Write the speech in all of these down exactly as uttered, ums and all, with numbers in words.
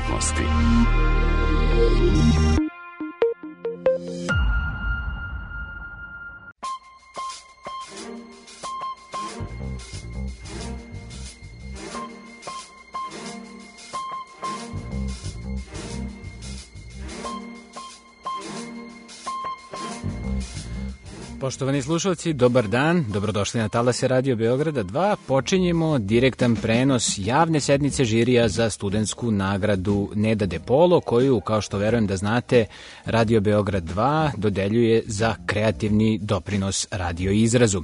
umetnosti. Poštovani slušalci, dobar dan, dobrodošli na talase Radio Beograda dva. Počinjemo direktan prenos javne sednice žirija za studentsku nagradu Neda De Polo, koju, kao što verujem da znate, Radio Beograd dva dodeljuje za kreativni doprinos radio izrazu.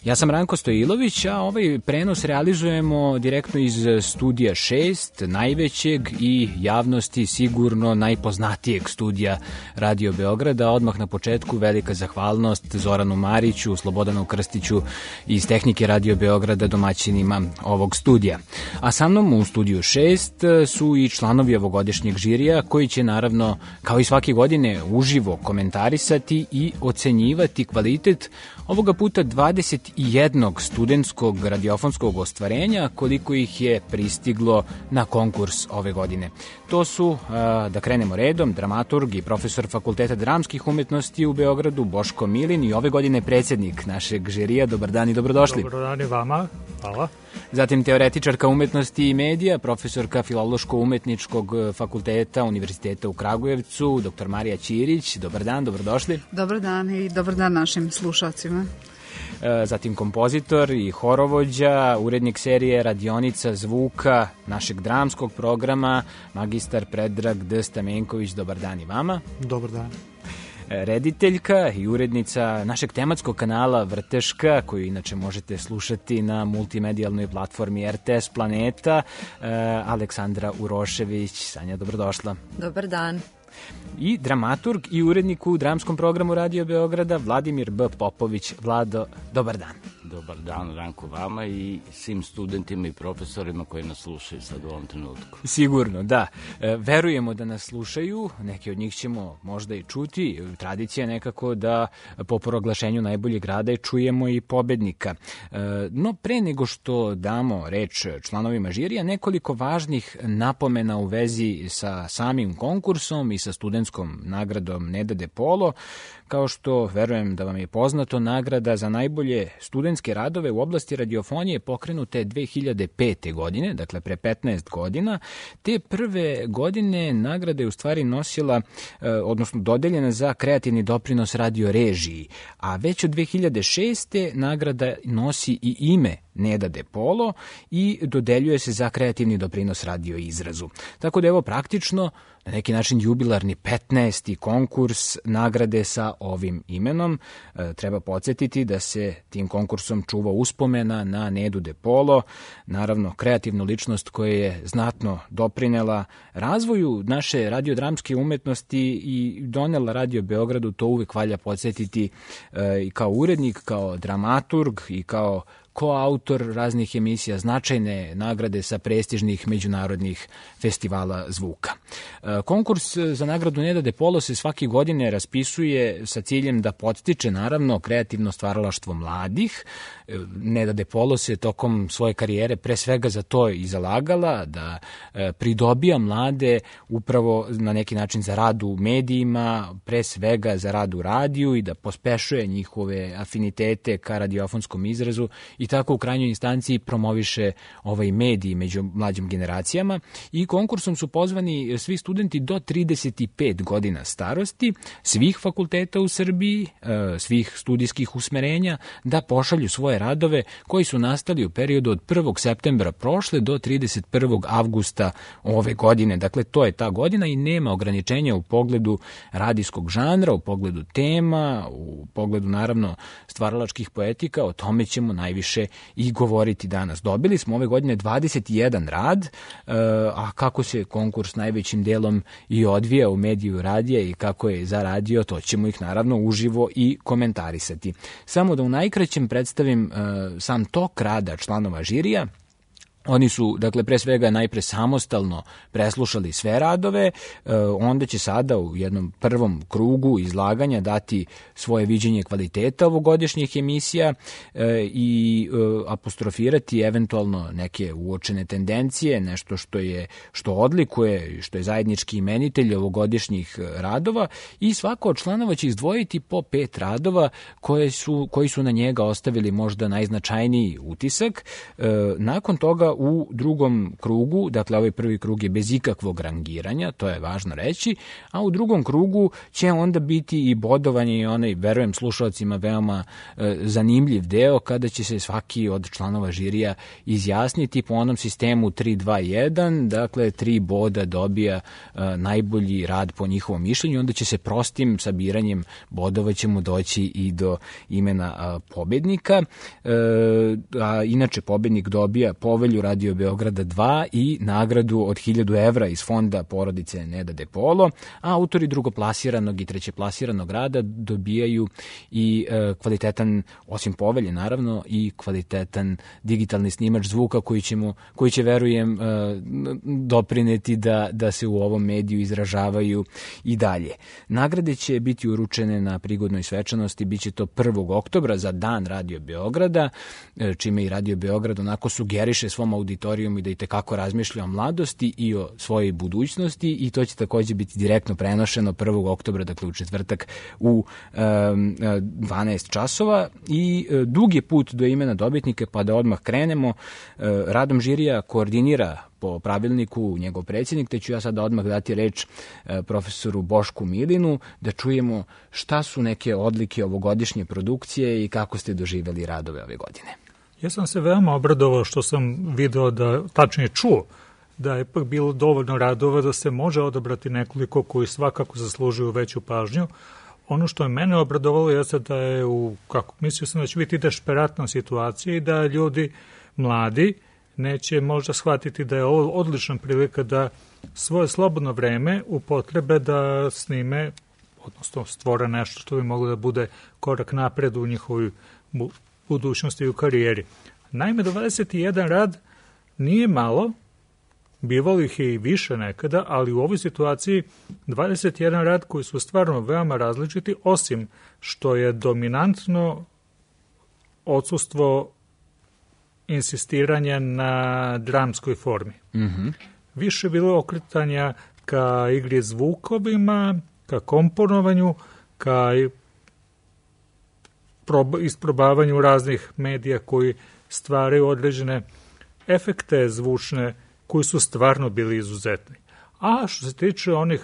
Ja sam Ranko Stojilović, a ovaj prenos realizujemo direktno iz studija šest, najvećeg i javnosti sigurno najpoznatijeg studija Radio Beograda. Odmah na početku velika zahvalnost Zoranu Mariću, Slobodanu Krstiću iz tehnike Radio Beograda, domaćinima ovog studija. A sa mnom u studiju šest su i članovi ovogodišnjeg žirija, koji će naravno, kao i svake godine, uživo komentarisati i ocenjivati kvalitet ovoga puta dvadeset jednog studentskog radiofonskog ostvarenja, koliko ih je pristiglo na konkurs ove godine. To su, da krenemo redom, dramaturg i profesor Fakulteta dramskih umetnosti u Beogradu Boško Milin i ove godine predsjednik našeg žirija. Dobar dan i dobrodošli. Dobar dan i vama, hvala. Zatim teoretičarka umetnosti i medija, profesorka Filološko-umetničkog fakulteta Univerziteta u Kragujevcu, doktor Marija Ćirić. Dobar dan, dobrodošli. Dobar dan i dobar dan našim slušalcima. Zatim kompozitor i horovođa, urednik serije Radionica zvuka našeg dramskog programa, magistar Predrag D. Stamenković. Dobar dan i vama. Dobar dan. Rediteljka i urednica našeg tematskog kanala Vrteška, koju inače možete slušati na multimedijalnoj platformi R T S Planeta, Aleksandra Urošević. Sanja, dobrodošla. Dobar dan. I dramaturg i urednik u dramskom programu Radio Beograda Vladimir B. Popović. Vlado, dobar dan. Dobar dan, Ranko, vama i svim studentima i profesorima koji nas slušaju sad u ovom trenutku. Sigurno, da. E, verujemo da nas slušaju, neki od njih ćemo možda i čuti. Tradicija je nekako da po proglašenju najboljeg rada čujemo i pobednika. E, no, pre nego što damo reč članovima žirija, nekoliko važnih napomena u vezi sa samim konkursom i sa studentskom nagradom Neda De Polo. Kao što verujem da vam je poznato, nagrada za najbolje studentske radove u oblasti radiofonije pokrenuta je dve hiljade pete. godine, dakle pre petnaest godina. Te prve godine nagrada je u stvari nosila, odnosno dodeljena za kreativni doprinos radiorežiji, a već od dve hiljade šeste. nagrada nosi i ime Neda De Polo i dodeljuje se za kreativni doprinos radio izrazu. Tako da evo praktično na neki način jubilarni petnaesti konkurs nagrade sa ovim imenom. E, treba podsjetiti da se tim konkursom čuva uspomena na Nedu De Polo, naravno kreativnu ličnost koja je znatno doprinela razvoju naše radiodramske umetnosti i donela Radio Beogradu, to uvek valja podsjetiti, e, i kao urednik, kao dramaturg i kao koautor raznih emisija, značajne nagrade sa prestižnih međunarodnih festivala zvuka. Konkurs za nagradu Neda De Polo se svake godine raspisuje sa ciljem da podstiče naravno kreativno stvaralaštvo mladih. Neda De Polo se tokom svoje karijere pre svega za to i zalagala, da pridobija mlade upravo na neki način za rad u medijima, pre svega za rad u radiju i da pospešuje njihove afinitete ka radiofonskom izrazu i tako u krajnjoj instanciji promoviše ovaj medij među mlađim generacijama. I konkursom su pozvani svi studenti do trideset pet godina starosti, svih fakulteta u Srbiji, svih studijskih usmerenja, da pošalju svoje radove koji su nastali u periodu od prvog septembra prošle do trideset prvog avgusta ove godine. Dakle, to je ta godina i nema ograničenja u pogledu radijskog žanra, u pogledu tema, u pogledu naravno stvaralačkih poetika. O tome ćemo najviše i govoriti danas. Dobili smo ove godine dvadeset jedan rad, a kako se konkurs najvećim delom i odvija u mediju radija i kako je za radio, to ćemo ih naravno uživo i komentarisati. Samo da u najkraćem predstavim sam tok rada članova žirija. Oni su, dakle, pre svega najpre samostalno preslušali sve radove, onda će sada u jednom prvom krugu izlaganja dati svoje viđenje kvaliteta ovogodišnjih emisija i apostrofirati eventualno neke uočene tendencije, nešto što je što odlikuje, što je zajednički imenitelj ovogodišnjih radova, i svako od članova će izdvojiti po pet radova koje su, koji su na njega ostavili možda najznačajniji utisak. Nakon toga u drugom krugu, dakle ovaj prvi krug je bez ikakvog rangiranja, to je važno reći, a u drugom krugu će onda biti i bodovanje i onaj, verujem slušalcima, veoma e, zanimljiv deo kada će se svaki od članova žirija izjasniti po onom sistemu tri dva jedan, dakle tri boda dobija e, najbolji rad po njihovom mišljenju, onda će se prostim sabiranjem bodova ćemo doći i do imena a, pobednika, e, a inače pobednik dobija povelju Radio Beograda dva i nagradu od hiljadu evra iz fonda porodice Neda De Polo, a autori drugoplasiranog i trećeplasiranog rada dobijaju i e, kvalitetan, osim povelje naravno, i kvalitetan digitalni snimač zvuka koji, ćemo, koji će, verujem, e, doprineti da, da se u ovom mediju izražavaju i dalje. Nagrade će biti uručene na prigodnoj svečanosti, bit će to prvog oktobra za dan Radio Beograda, e, čime i Radio Beograd onako sugeriše svom auditorijum i da i tekako razmišlja o mladosti i o svojoj budućnosti, i to će takođe biti direktno prenošeno prvog oktobra, dakle u četvrtak u um, dvanaest časova, i uh, dug je put do imena dobitnika, pa da odmah krenemo. Uh, radom žirija koordinira po pravilniku njegov predsjednik, te ću ja sada odmah dati reč uh, profesoru Bošku Milinu da čujemo šta su neke odlike ovogodišnje produkcije i kako ste doživjeli radove ove godine. Ja sam se veoma obradovao što sam video da, tačnije čuo, da je ipak bilo dovoljno radova da se može odabrati nekoliko koji svakako zaslužuju veću pažnju. Ono što je mene obradovalo jeste da je u, kako mislio sam da će biti desperatna situacija i da ljudi mladi neće možda shvatiti da je ovo odlična prilika da svoje slobodno vreme upotrebe da snime, odnosno stvore nešto što bi moglo da bude korak napred u njihovoj budućnosti i u karijeri. Naime, dvadeset jedan rad nije malo, bivalo ih je i više nekada, ali u ovoj situaciji dvadeset jedan rad koji su stvarno veoma različiti, osim što je dominantno odsustvo insistiranja na dramskoj formi. Mm-hmm. Više je bilo okretanja ka igri zvukovima, ka komponovanju, ka isprobavanju raznih medija koji stvaraju određene efekte zvučne koji su stvarno bili izuzetni. A što se tiče onih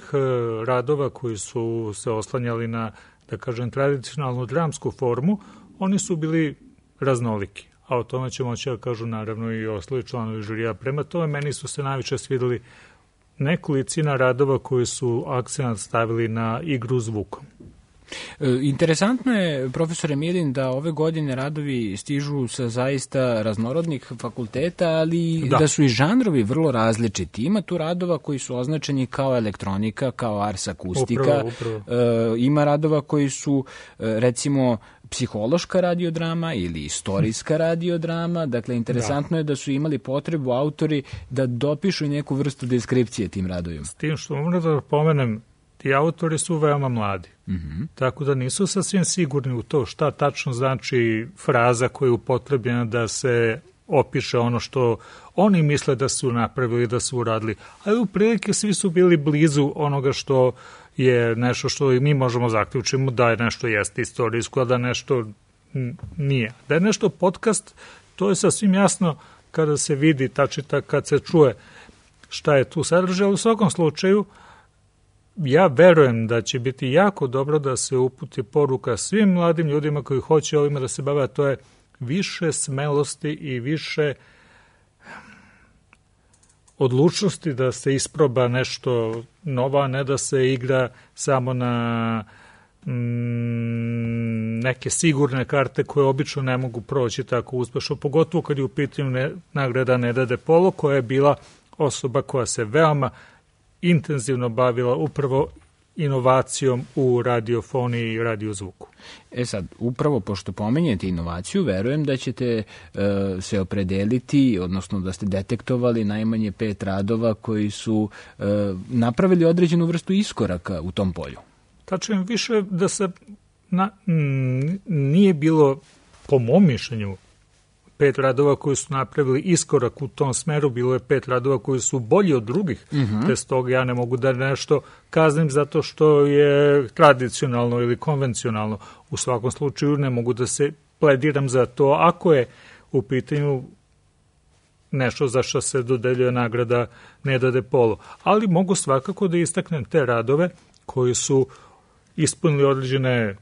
radova koji su se oslanjali na, da kažem, tradicionalnu dramsku formu, oni su bili raznoliki. A o tome će moći da kažu naravno i ostali članovi žirija. Prema tome, meni su se najviše svidjeli nekolicina radova koji su akcent stavili na igru zvukom. Interesantno je, profesore Milin, da ove godine radovi stižu sa zaista raznorodnih fakulteta, ali da, da su i žanrovi vrlo različiti. Ima tu radova koji su označeni kao elektronika, kao ars akustika. Upravo, upravo. Ima radova koji su, recimo, psihološka radiodrama ili istorijska radiodrama. Dakle, interesantno da. je da su imali potrebu autori da dopišu neku vrstu deskripcije tim radovima. S tim što moram da pomenem, ti autori su veoma mladi. Mm-hmm. Tako da nisu sasvim sigurni u to šta tačno znači fraza koja je upotrebljena da se opiše ono što oni misle da su napravili, da su uradili. Ali u prilike svi su bili blizu onoga što je nešto što i mi možemo zaključiti da je nešto jeste istorijsko, a da nešto nije. Da je nešto podcast, to je sasvim jasno kada se vidi, tačita, kad se čuje šta je tu sadržaj, ali u svakom slučaju ja verujem da će biti jako dobro da se uputi poruka svim mladim ljudima koji hoće ovima da se bave, a to je više smelosti i više odlučnosti da se isproba nešto novo, a ne da se igra samo na mm, neke sigurne karte koje obično ne mogu proći tako uspešno, pogotovo kad je u pitanju ne, nagrada Neda De Polo, koja je bila osoba koja se veoma intenzivno bavila upravo inovacijom u radiofoniji i radiozvuku. E sad, upravo pošto pomenjete inovaciju, verujem da ćete e, se opredeliti, odnosno da ste detektovali najmanje pet radova koji su e, napravili određenu vrstu iskoraka u tom polju. Tačno više da se na, m, nije bilo, po mom mišljenju, pet radova koji su napravili iskorak u tom smeru, bilo je pet radova koji su bolji od drugih, uh-huh. te stoga ja ne mogu da nešto kaznim zato što je tradicionalno ili konvencionalno. U svakom slučaju ne mogu da se plediram za to ako je u pitanju nešto za što se dodeljuje nagrada Neda De Polo. Ali mogu svakako da istaknem te radove koji su ispunili određene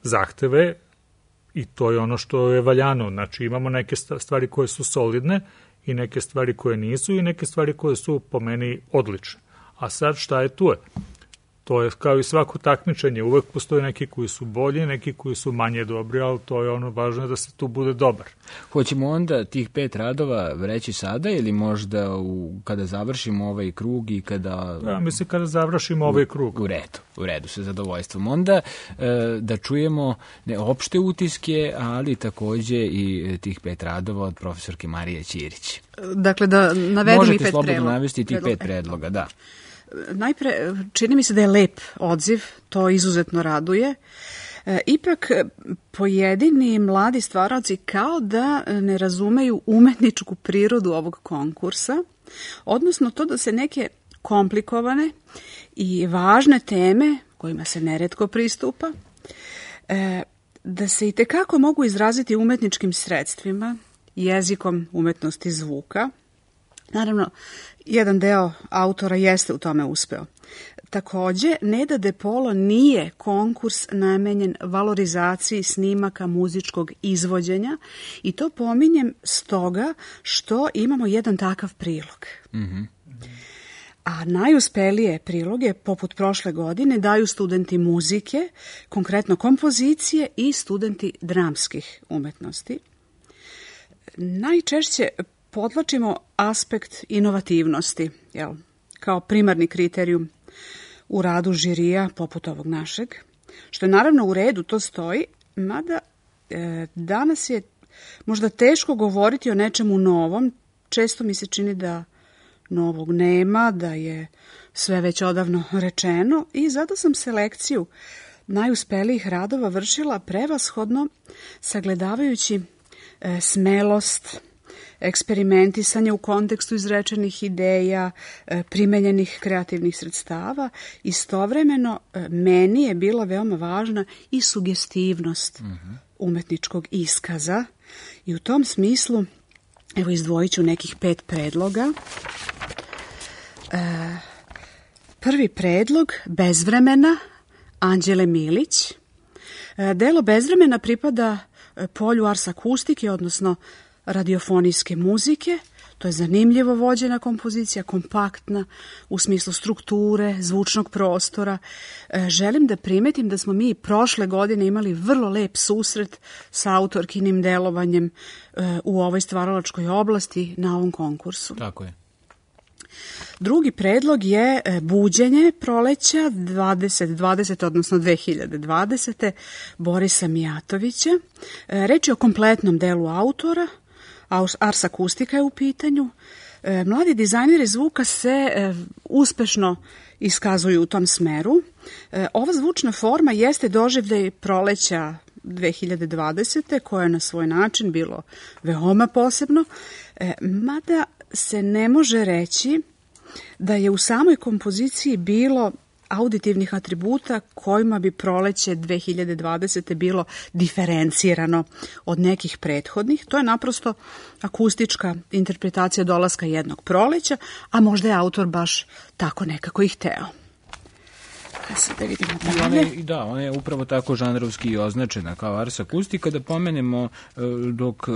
zahteve, i to je ono što je valjano. Znači imamo neke stvari koje su solidne i neke stvari koje nisu i neke stvari koje su po meni odlične. A sad šta je tu je? To je kao i svako takmičenje. Uvek postoje neki koji su bolji, neki koji su manje dobri, ali to je ono važno da se tu bude dobar. Hoćemo onda tih pet radova reći sada ili možda u, kada završimo ovaj krug i kada... Ja mislim kada završimo u, ovaj krug. U redu, u redu, sa zadovoljstvom. Onda e, da čujemo ne opšte utiske, ali takođe i tih pet radova od profesorke Marije Ćirić. Dakle, da navedem možete i pet slobodno predloga. navesti tih pet predloga, da. Najpre, čini mi se da je lep odziv, to izuzetno raduje. E, ipak, pojedini mladi stvaraoci kao da ne razumeju umetničku prirodu ovog konkursa, odnosno to da se neke komplikovane i važne teme, kojima se neretko pristupa, e, da se i tekako mogu izraziti umetničkim sredstvima, jezikom umetnosti zvuka. Naravno, jedan deo autora jeste u tome uspeo. Takođe, Neda De Polo nije konkurs namenjen valorizaciji snimaka muzičkog izvođenja i to pominjem stoga što imamo jedan takav prilog. Mm-hmm. A najuspelije priloge, poput prošle godine, daju studenti muzike, konkretno kompozicije i studenti dramskih umetnosti. Najčešće podlačimo aspekt inovativnosti, jel, kao primarni kriterijum u radu žirija poput ovog našeg, što je naravno u redu, to stoji, mada e, danas je možda teško govoriti o nečemu novom, često mi se čini da novog nema, da je sve već odavno rečeno i zato sam selekciju najuspelijih radova vršila prevashodno sagledavajući e, smelost, eksperimentisanje u kontekstu izrečenih ideja, primenjenih kreativnih sredstava. Istovremeno, meni je bila veoma važna i sugestivnost uh-huh. umetničkog iskaza i u tom smislu, evo izdvojit ću nekih pet predloga. E, prvi predlog, Bezvremena, Anđele Milić. E, delo Bezvremena pripada polju ars akustike, odnosno radiofonijske muzike. To je zanimljivo vođena kompozicija, kompaktna u smislu strukture, zvučnog prostora. E, želim da primetim da smo mi prošle godine imali vrlo lep susret sa autorkinim delovanjem e, u ovoj stvaralačkoj oblasti na ovom konkursu. Tako je. Drugi predlog je Buđenje proleća dvadeset dvadeset, odnosno dve hiljade dvadesete. Borisa Mijatovića. E, reč je o kompletnom delu autora, ars akustika je u pitanju. E, mladi dizajneri zvuka se e, uspešno iskazuju u tom smeru. E, ova zvučna forma jeste doživljaj proleća dve hiljade dvadesete koje je na svoj način bilo veoma posebno, e, mada se ne može reći da je u samoj kompoziciji bilo auditivnih atributa kojima bi proleće dve hiljade dvadesete bilo diferencirano od nekih prethodnih. To je naprosto akustička interpretacija dolaska jednog proleća, a možda je autor baš tako nekako i hteo. Da vidimo dalje. I da, ona je upravo tako žanrovski označena kao ars akustika. Da pomenemo, dok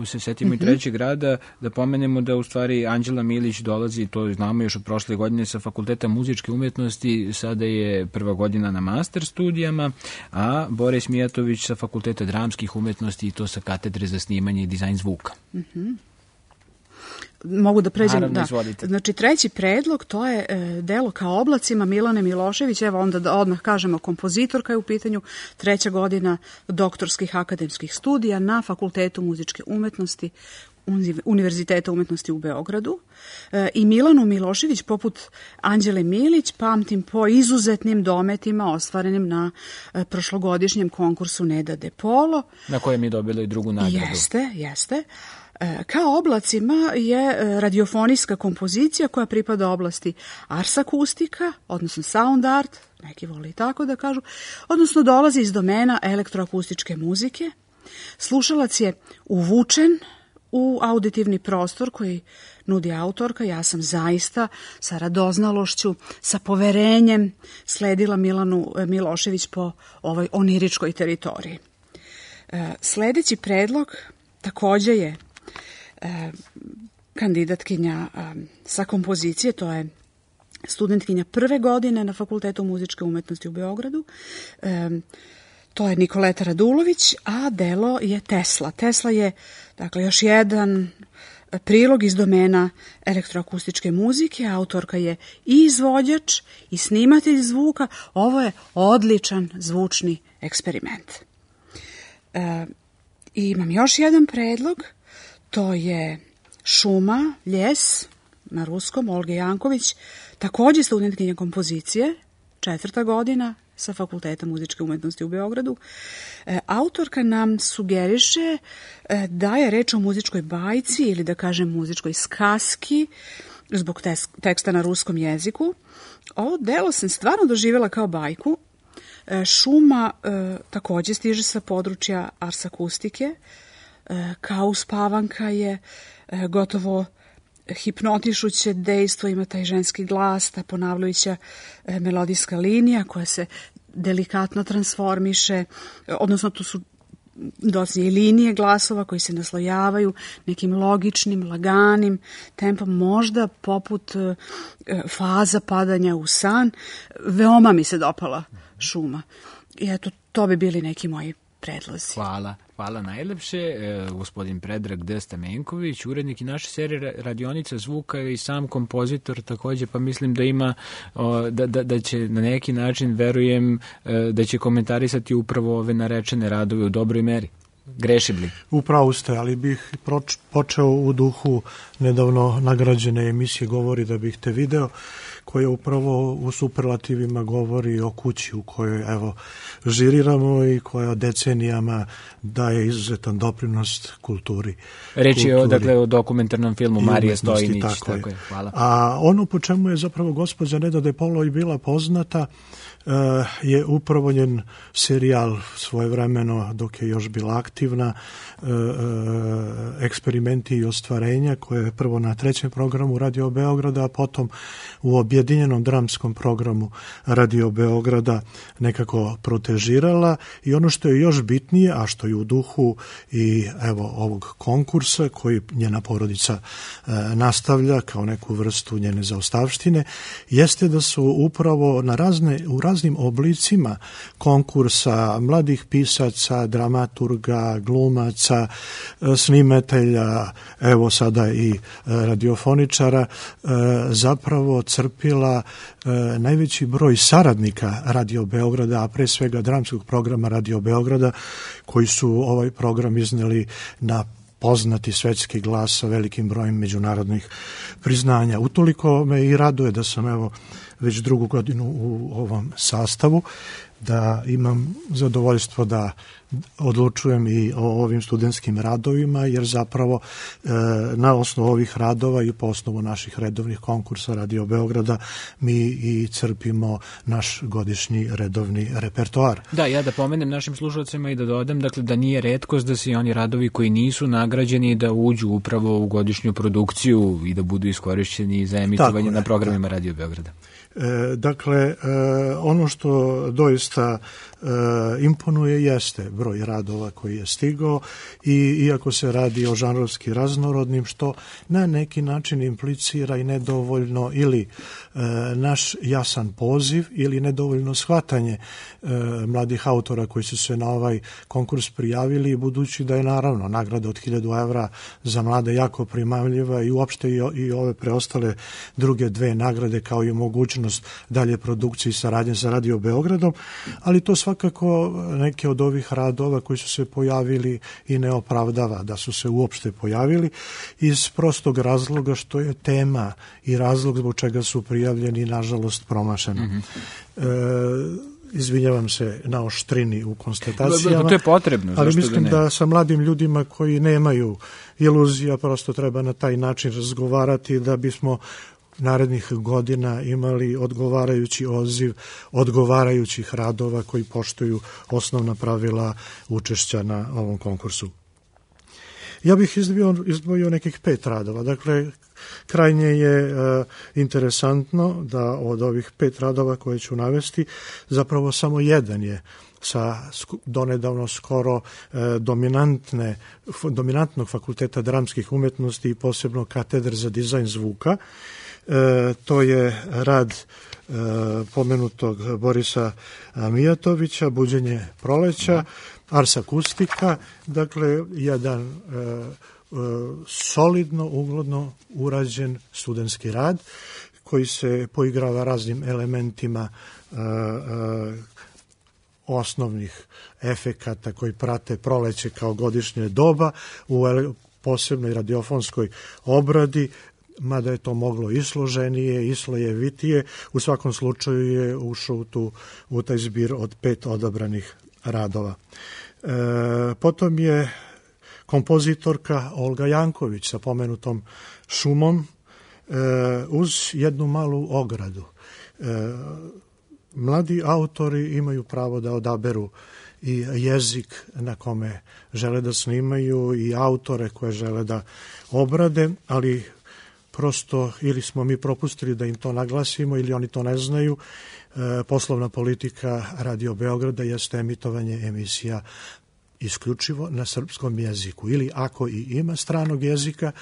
se setimo mm-hmm. i trećeg rada, da pomenemo da u stvari Anđela Milić dolazi, to znamo još od prošle godine, sa Fakulteta muzičke umetnosti, sada je prva godina na master studijama, a Boris Mijatović sa Fakulteta dramskih umetnosti i to sa katedre za snimanje i dizajn zvuka. Mhm. Mogu da pređem, Naravno, da. izvolite. Znači, treći predlog, to je e, delo Kao oblacima Milane Milošević, evo onda da odmah kažemo, kompozitorka je u pitanju, treća godina doktorskih akademskih studija na Fakultetu muzičke umetnosti Univerziteta umetnosti u Beogradu. E, I Milanu Milošević, poput Anđele Milić, pamtim po izuzetnim dometima ostvarenim na e, prošlogodišnjem konkursu Neda de Polo. Na kojem je dobila i drugu nagradu. Jeste, jeste. Kao oblacima je radiofonijska kompozicija koja pripada oblasti ars akustika, odnosno sound art, neki voli tako da kažu, odnosno dolazi iz domena elektroakustičke muzike. Slušalac je uvučen u auditivni prostor koji nudi autorka. Ja sam zaista sa radoznalošću, sa poverenjem sledila Milanu Milošević po ovoj oniričkoj teritoriji. Sledeći predlog takođe je E, kandidatkinja e, sa kompozicije, to je studentkinja prve godine na Fakultetu muzičke umetnosti u Beogradu. E, to je Nikoleta Radulović, a delo je Tesla. Tesla je, dakle, još jedan prilog iz domena elektroakustičke muzike. Autorka je i izvođač i snimatelj zvuka. Ovo je odličan zvučni eksperiment. E, i imam još jedan predlog. To je Šuma, ljes, na ruskom, Olge Janković, takođe studentkinja kompozicije, četvrta godina sa Fakulteta muzičke umetnosti u Beogradu. E, autorka nam sugeriše e, da je reč o muzičkoj bajci ili da kažem muzičkoj skaski zbog teksta na ruskom jeziku. Ovo delo sam stvarno doživjela kao bajku. E, Šuma e, takođe stiže sa područja ars akustike. Kao uspavanka je gotovo hipnotišuće dejstvo, ima taj ženski glas, ta ponavljajuća melodijska linija koja se delikatno transformiše, odnosno tu su docnije i linije glasova koji se naslojavaju nekim logičnim, laganim tempom, možda poput faza padanja u san. Veoma mi se dopala Šuma. I eto, to bi bili neki moji predlozi. Hvala. Hvala najlepše. E, gospodin Predrag D. Stamenković, urednik i naše serije Radionica zvuka i sam kompozitor takođe, pa mislim da ima, o, da, da, da će na neki način, verujem, e, da će komentarisati upravo ove narečene radove u dobroj meri. Grešim li? Upravo ste, ali bih proč, počeo u duhu nedavno nagrađene emisije Govori da bih te video, koja upravo u superlativima govori o kući u kojoj evo žiriramo i koja decenijama daje izuzetan doprinos kulturi. Reč je o, dakle, o dokumentarnom filmu Marija Stojinić. Tako, tako je. je. Hvala. A ono po čemu je zapravo gospođa Neda de Polo i bila poznata Uh, je upravo njen serijal svojevremeno dok je još bila aktivna, uh, uh, Eksperimenti i ostvarenja, koje je prvo na trećem programu Radio Beograda, a potom u objedinjenom dramskom programu Radio Beograda nekako protežirala. I ono što je još bitnije, a što je u duhu i evo ovog konkursa koji njena porodica uh, nastavlja kao neku vrstu njene zaostavštine, jeste da su upravo na razne, u raznim oblicima konkursa mladih pisaca, dramaturga, glumaca, snimatelja, evo sada i radiofoničara, zapravo crpila najveći broj saradnika Radio Beograda, a pre svega dramskog programa Radio Beograda, koji su ovaj program izneli na poznati svetski glas sa velikim brojem međunarodnih priznanja. Utoliko me i raduje da sam evo već drugu godinu u ovom sastavu, da imam zadovoljstvo da odlučujem i o ovim studentskim radovima, jer zapravo e, na osnovu ovih radova i po osnovu naših redovnih konkursa Radio Beograda mi i crpimo naš godišnji redovni repertoar. Da, ja da pomenem našim slušalcima i da dodam, dakle, da nije retkost da se oni radovi koji nisu nagrađeni da uđu upravo u godišnju produkciju i da budu iskorišćeni za emitovanje je, na programima da. Radio Beograda. Dakle, ono što doista imponuje jeste broj radova koji je stigao i iako se radi o žanrovski raznorodnim, što na neki način implicira i nedovoljno ili naš jasan poziv ili nedovoljno shvatanje mladih autora koji su se na ovaj konkurs prijavili, budući da je naravno nagrada od hiljadu evra za mlade jako primamljiva i uopšte i ove preostale druge dve nagrade kao i mogućnost dalje produkcije i saradnje sa Radio Beogradom, ali to svakako neke od ovih radova koji su se pojavili i ne opravdava da su se uopšte pojavili iz prostog razloga što je tema i razlog zbog čega su prijavljeni nažalost promašeno. Mm-hmm. E, Izvinjavam se na oštrini u konstatacijama. To je potrebno. Ali mislim da, da sa mladim ljudima koji nemaju iluzija prosto treba na taj način razgovarati da bismo narednih godina imali odgovarajući odziv odgovarajućih radova koji poštuju osnovna pravila učešća na ovom konkursu. Ja bih izdvojio, izdvojio nekih pet radova. Dakle, krajnje je e, interesantno da od ovih pet radova koje ću navesti, zapravo samo jedan je sa donedavno skoro e, dominantne, f, dominantnog fakulteta dramskih umetnosti i posebno katedre za dizajn zvuka. E, to je rad e, pomenutog Borisa Mijatovića, Buđenje proleća, Ars akustika, dakle jedan e, e, solidno, ugledno urađen studentski rad koji se poigrava raznim elementima e, e, osnovnih efekata koji prate proleće kao godišnje doba u posebnoj radiofonskoj obradi, mada je to moglo i složenije, i slojevitije, u svakom slučaju je ušao u, tu, u taj zbir od pet odabranih radova. E, potom je kompozitorka Olga Janković sa pomenutom šumom e, uz jednu malu ogradu. E, mladi autori imaju pravo da odaberu i jezik na kome žele da snimaju i autore koje žele da obrade, ali prosto ili smo mi propustili da im to naglasimo ili oni to ne znaju. E, poslovna politika Radio Beograda jeste emitovanje emisija isključivo na srpskom jeziku ili ako i ima stranog jezika,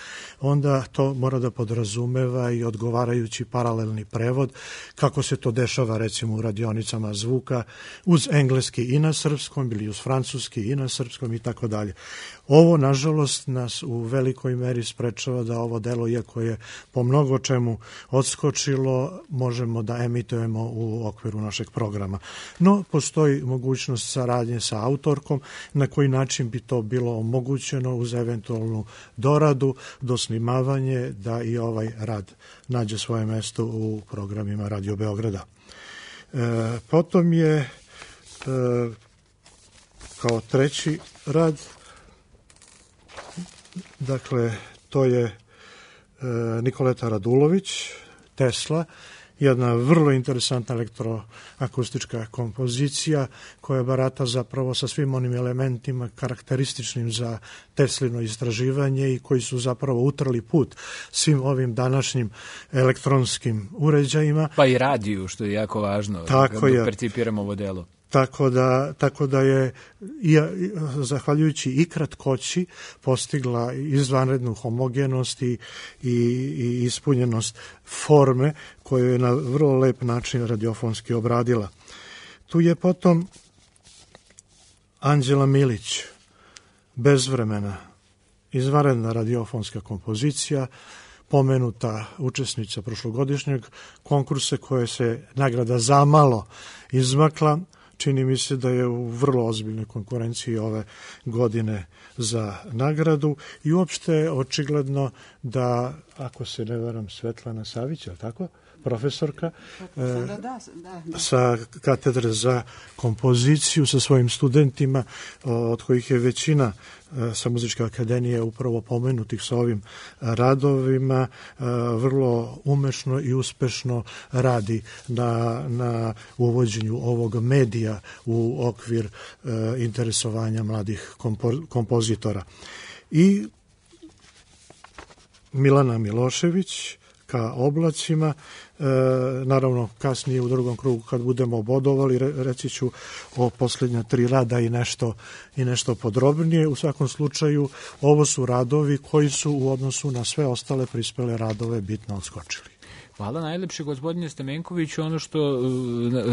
onda to mora da podrazumeva i odgovarajući paralelni prevod, kako se to dešava recimo u radionicama zvuka uz engleski i na srpskom ili uz francuski i na srpskom i tako dalje. Ovo, nažalost, nas u velikoj meri sprečava da ovo delo, iako je po mnogo čemu odskočilo, možemo da emitujemo u okviru našeg programa. No, postoji mogućnost saradnje sa autorkom, na koji način bi to bilo omogućeno uz eventualnu doradu, dosnimavanje, da i ovaj rad nađe svoje mesto u programima Radio Beograda. E, potom je e, kao treći rad, dakle, to je e, Nikoleta Radulović, Tesla, jedna vrlo interesantna elektroakustička kompozicija koja barata zapravo sa svim onim elementima karakterističnim za Teslino istraživanje i koji su zapravo utrli put svim ovim današnjim elektronskim uređajima. Pa i radiju, što je jako važno, tako da percipiramo ovo delo. Tako da, tako da je, i, zahvaljujući i kratkoći, postigla izvanrednu homogenost i, i, i ispunjenost forme koju je na vrlo lep način radiofonski obradila. Tu je potom Anđela Milić, Bezvremena, izvanredna radiofonska kompozicija, pomenuta učesnica prošlogodišnjeg konkursa koje se nagrada zamalo izmakla. Čini mi se da je u vrlo ozbiljnoj konkurenciji ove godine za nagradu i uopšte je očigledno da, ako se ne varam, Svetlana Savić, je li tako? Profesorka da, da, da. sa katedre za kompoziciju sa svojim studentima, od kojih je većina sa Muzičke akademije upravo pomenutih sa ovim radovima, vrlo umešno i uspešno radi na, na uvođenju ovog medija u okvir interesovanja mladih kompo, kompozitora. I Milana Milošević ka oblacima, naravno kasnije u drugom krugu kad budemo bodovali reći ću o posljednja tri rada i nešto, i nešto podrobnije. U svakom slučaju ovo su radovi koji su u odnosu na sve ostale prispele radove bitno odskočili. Hvala najlepše, gospodine Stamenkoviću. Ono što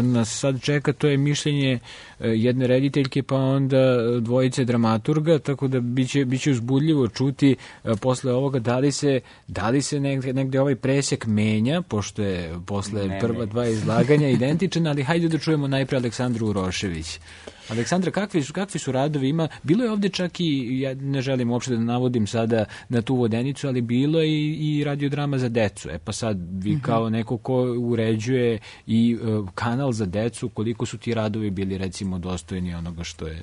nas sad čeka, to je mišljenje jedne rediteljke, pa onda dvojice dramaturga, tako da biće, biće uzbudljivo čuti posle ovoga da li se, da li se negde, negde ovaj presek menja, pošto je posle ne, prva ne. dva izlaganja identičan, ali hajde da čujemo najpre Aleksandru Urošević. Aleksandra, kakvi su, kakvi su radovi? Ima, bilo je ovde čak i, ja ne želim uopšte da navodim sada na tu vodenicu, ali bilo je i, i radiodrama za decu. E pa sad, vi kao neko ko uređuje i uh, kanal za decu, koliko su ti radovi bili recimo dostojni onoga što je...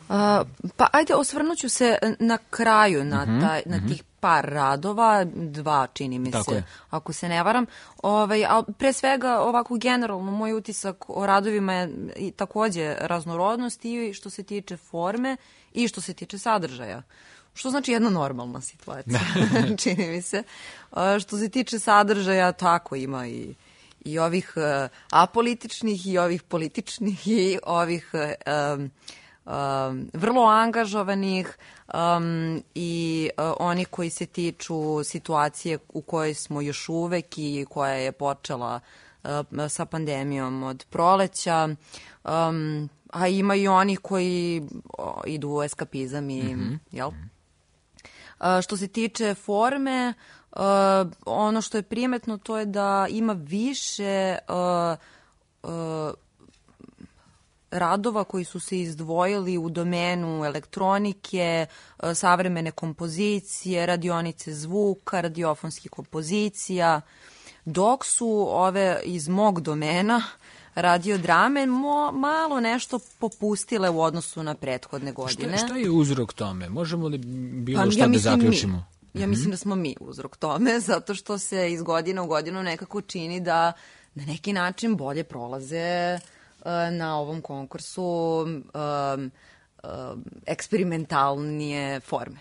A, pa ajde, osvrnuću se na kraju na, uh-huh, taj, na uh-huh. tih par radova, dva čini mi Tako se, je. ako se ne varam. Ovaj, a pre svega ovako generalno moj utisak o radovima je i takođe raznorodnost i što se tiče forme i što se tiče sadržaja. Što znači jedna normalna situacija, čini mi se. A, što se tiče sadržaja, tako ima i i ovih uh, apolitičnih i ovih političnih i ovih um, um, vrlo angažovanih um, i uh, oni koji se tiču situacije u kojoj smo još uvek i koja je počela uh, sa pandemijom od proleća, um, a ima i oni koji o, idu u eskapizam i, mm-hmm. jel? Uh, što se tiče forme, Uh, ono što je primetno to je da ima više uh, uh, radova koji su se izdvojili u domenu elektronike, uh, savremene kompozicije, radionice zvuka, radiofonskih kompozicija, dok su ove iz mog domena radiodrame mo, malo nešto popustile u odnosu na prethodne godine. Šta, šta je uzrok tome? Možemo li bilo pa, šta ja da zaključimo? Mi. Ja mislim da smo mi uzrok tome, zato što se iz godine u godinu nekako čini da na neki način bolje prolaze uh, na ovom konkursu um, um, eksperimentalnije forme.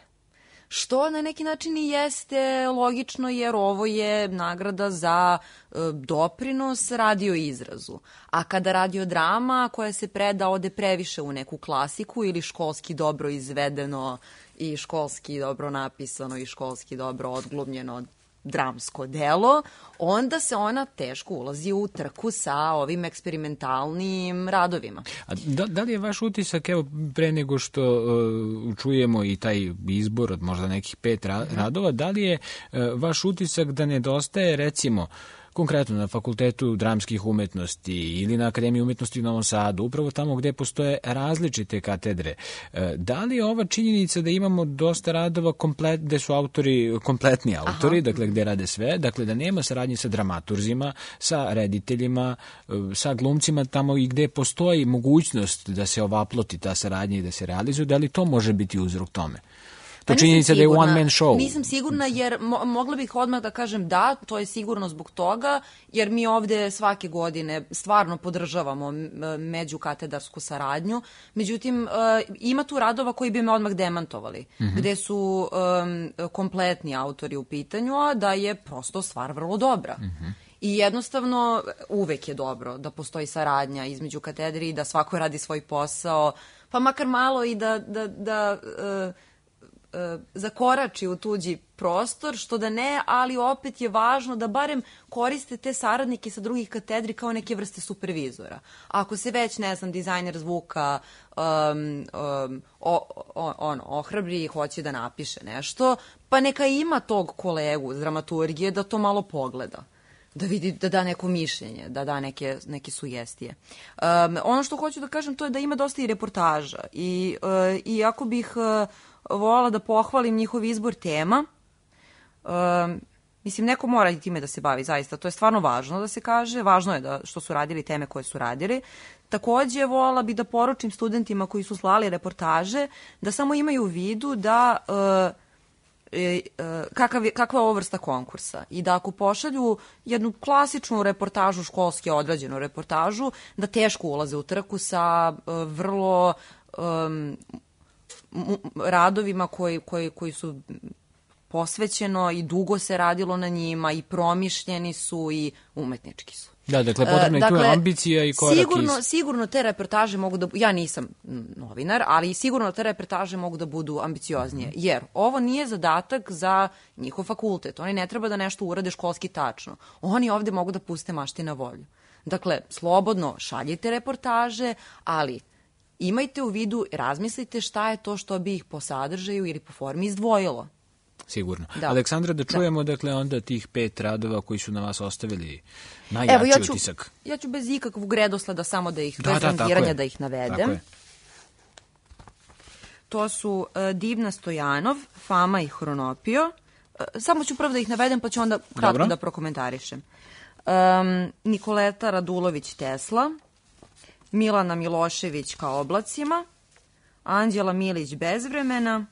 Što na neki način i jeste logično, jer ovo je nagrada za uh, doprinos radio izrazu. A kada radiodrama koja se preda ode previše u neku klasiku ili školski dobro izvedeno i školski dobro napisano i školski dobro odglumljeno dramsko delo, onda se ona teško ulazi u trku sa ovim eksperimentalnim radovima. A da, da li je vaš utisak, evo pre nego što uh, čujemo i taj izbor od možda nekih pet ra- radova, da li je uh, vaš utisak da nedostaje recimo konkretno na Fakultetu dramskih umetnosti ili na Akademiji umetnosti u Novom Sadu, upravo tamo gde postoje različite katedre. Da li je ova činjenica da imamo dosta radova komplet, gde su autori, kompletni autori, Aha. dakle gde rade sve, dakle da nema saradnje sa dramaturzima, sa rediteljima, sa glumcima, tamo i gde postoji mogućnost da se ovaploti ta saradnja i da se realizuje, da li to može biti uzrok tome? To činjenica da je one man show. Nisam sigurna jer mo- mogla bih odmah da kažem da, to je sigurno zbog toga, jer mi ovde svake godine stvarno podržavamo međukatedarsku saradnju. Međutim, uh, ima tu radova koji bi me odmah demantovali, mm-hmm. gde su um, kompletni autori u pitanju, a da je prosto stvar vrlo dobra. Mm-hmm. I jednostavno uvek je dobro da postoji saradnja između katedri i da svako radi svoj posao, pa makar malo i da... da, da uh, zakorači u tuđi prostor, što da ne, ali opet je važno da barem koriste te saradnike sa drugih katedri kao neke vrste supervizora. Ako se već, ne znam, dizajner zvuka um, um, o, o, ono, ohrabri i hoće da napiše nešto, pa neka ima tog kolegu iz dramaturgije da to malo pogleda, da vidi, da da neko mišljenje, da da neke, neke sugestije. Um, ono što hoću da kažem to je da ima dosta i reportaža i uh, iako bih uh, voljela da pohvalim njihov izbor tema. Um, mislim, neko mora i time da se bavi, zaista. To je stvarno važno da se kaže. Važno je da što su radili teme koje su radili. Takođe, voljela bi da poručim studentima koji su slali reportaže da samo imaju u vidu da uh, e, uh, kakav je, kakva je ovo vrsta konkursa i da ako pošalju jednu klasičnu reportažu, školski odrađenu reportažu, da teško ulaze u trku sa uh, vrlo... Um, radovima koji, koji, koji su posvećeno i dugo se radilo na njima i promišljeni su i umetnički su. Da, dakle, potrebna je dakle, tu ambicija i korak sigurno, iz... Sigurno te reportaže mogu da... Ja nisam novinar, ali sigurno te reportaže mogu da budu ambicioznije. Mm-hmm. Jer ovo nije zadatak za njihov fakultet. Oni ne treba da nešto urade školski tačno. Oni ovde mogu da puste mašti na volju. Dakle, slobodno šaljite reportaže, ali imajte u vidu, razmislite šta je to što bi ih po sadržaju ili po formi izdvojilo. Sigurno. Da. Aleksandra, da čujemo, da. dakle, onda tih pet radova koji su na vas ostavili najjači Evo, ja ću, utisak. Ja ću bez ikakvog redosleda samo da ih, da, bez da, rangiranja da ih navedem. Tako je. To su uh, Divna Stojanov, Fama i Hronopio. Uh, samo ću prvo da ih navedem, pa ću onda kratko Dobro. da prokomentarišem. Um, Nikoleta Radulović Tesla, Milana Milošević Ka oblacima, Anđela Milić Bezvremena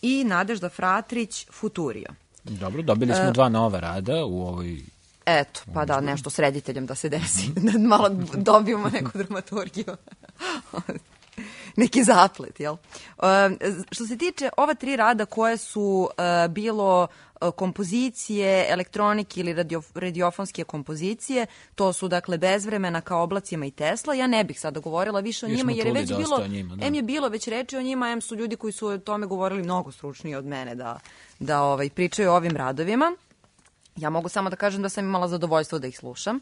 i Nadežda Fratrić Futurio. Dobro, dobili smo uh, dva nova rada u ovoj... Eto, pa da, nešto s rediteljem da se desi. Da malo dobijemo neku dramaturgiju. Neki zaplet, jel? Uh, što se tiče ova tri rada koje su uh, bilo uh, kompozicije, elektronike ili radio, radiofonske kompozicije, to su dakle Bezvremena, Ka oblacima i Tesla. Ja ne bih sada govorila više o jer njima, jer je već bilo, njima, da. em je bilo već reči o njima, em su ljudi koji su o tome govorili mnogo stručniji od mene da, da ovaj, pričaju o ovim radovima. Ja mogu samo da kažem da sam imala zadovoljstvo da ih slušam.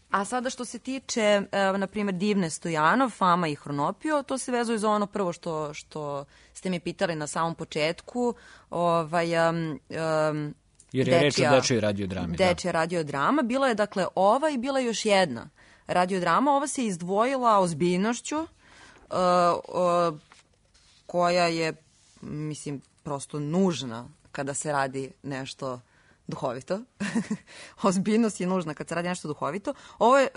A sada što se tiče, e, na primjer, Divne Stojanov, Fama i Hronopio, to se vezuje za ono prvo što, što ste mi pitali na samom početku. Ovaj, um, um, Jer je reč o dečjoj radiodrami. Dečja da. radiodrama. Bila je dakle ova i bila je još jedna radiodrama. Ova se izdvojila ozbiljnošću, uh, uh, koja je, mislim, prosto nužna kada se radi nešto duhovito. Ozbiljnost je nužna kad se radi nešto duhovito. Ovo je e,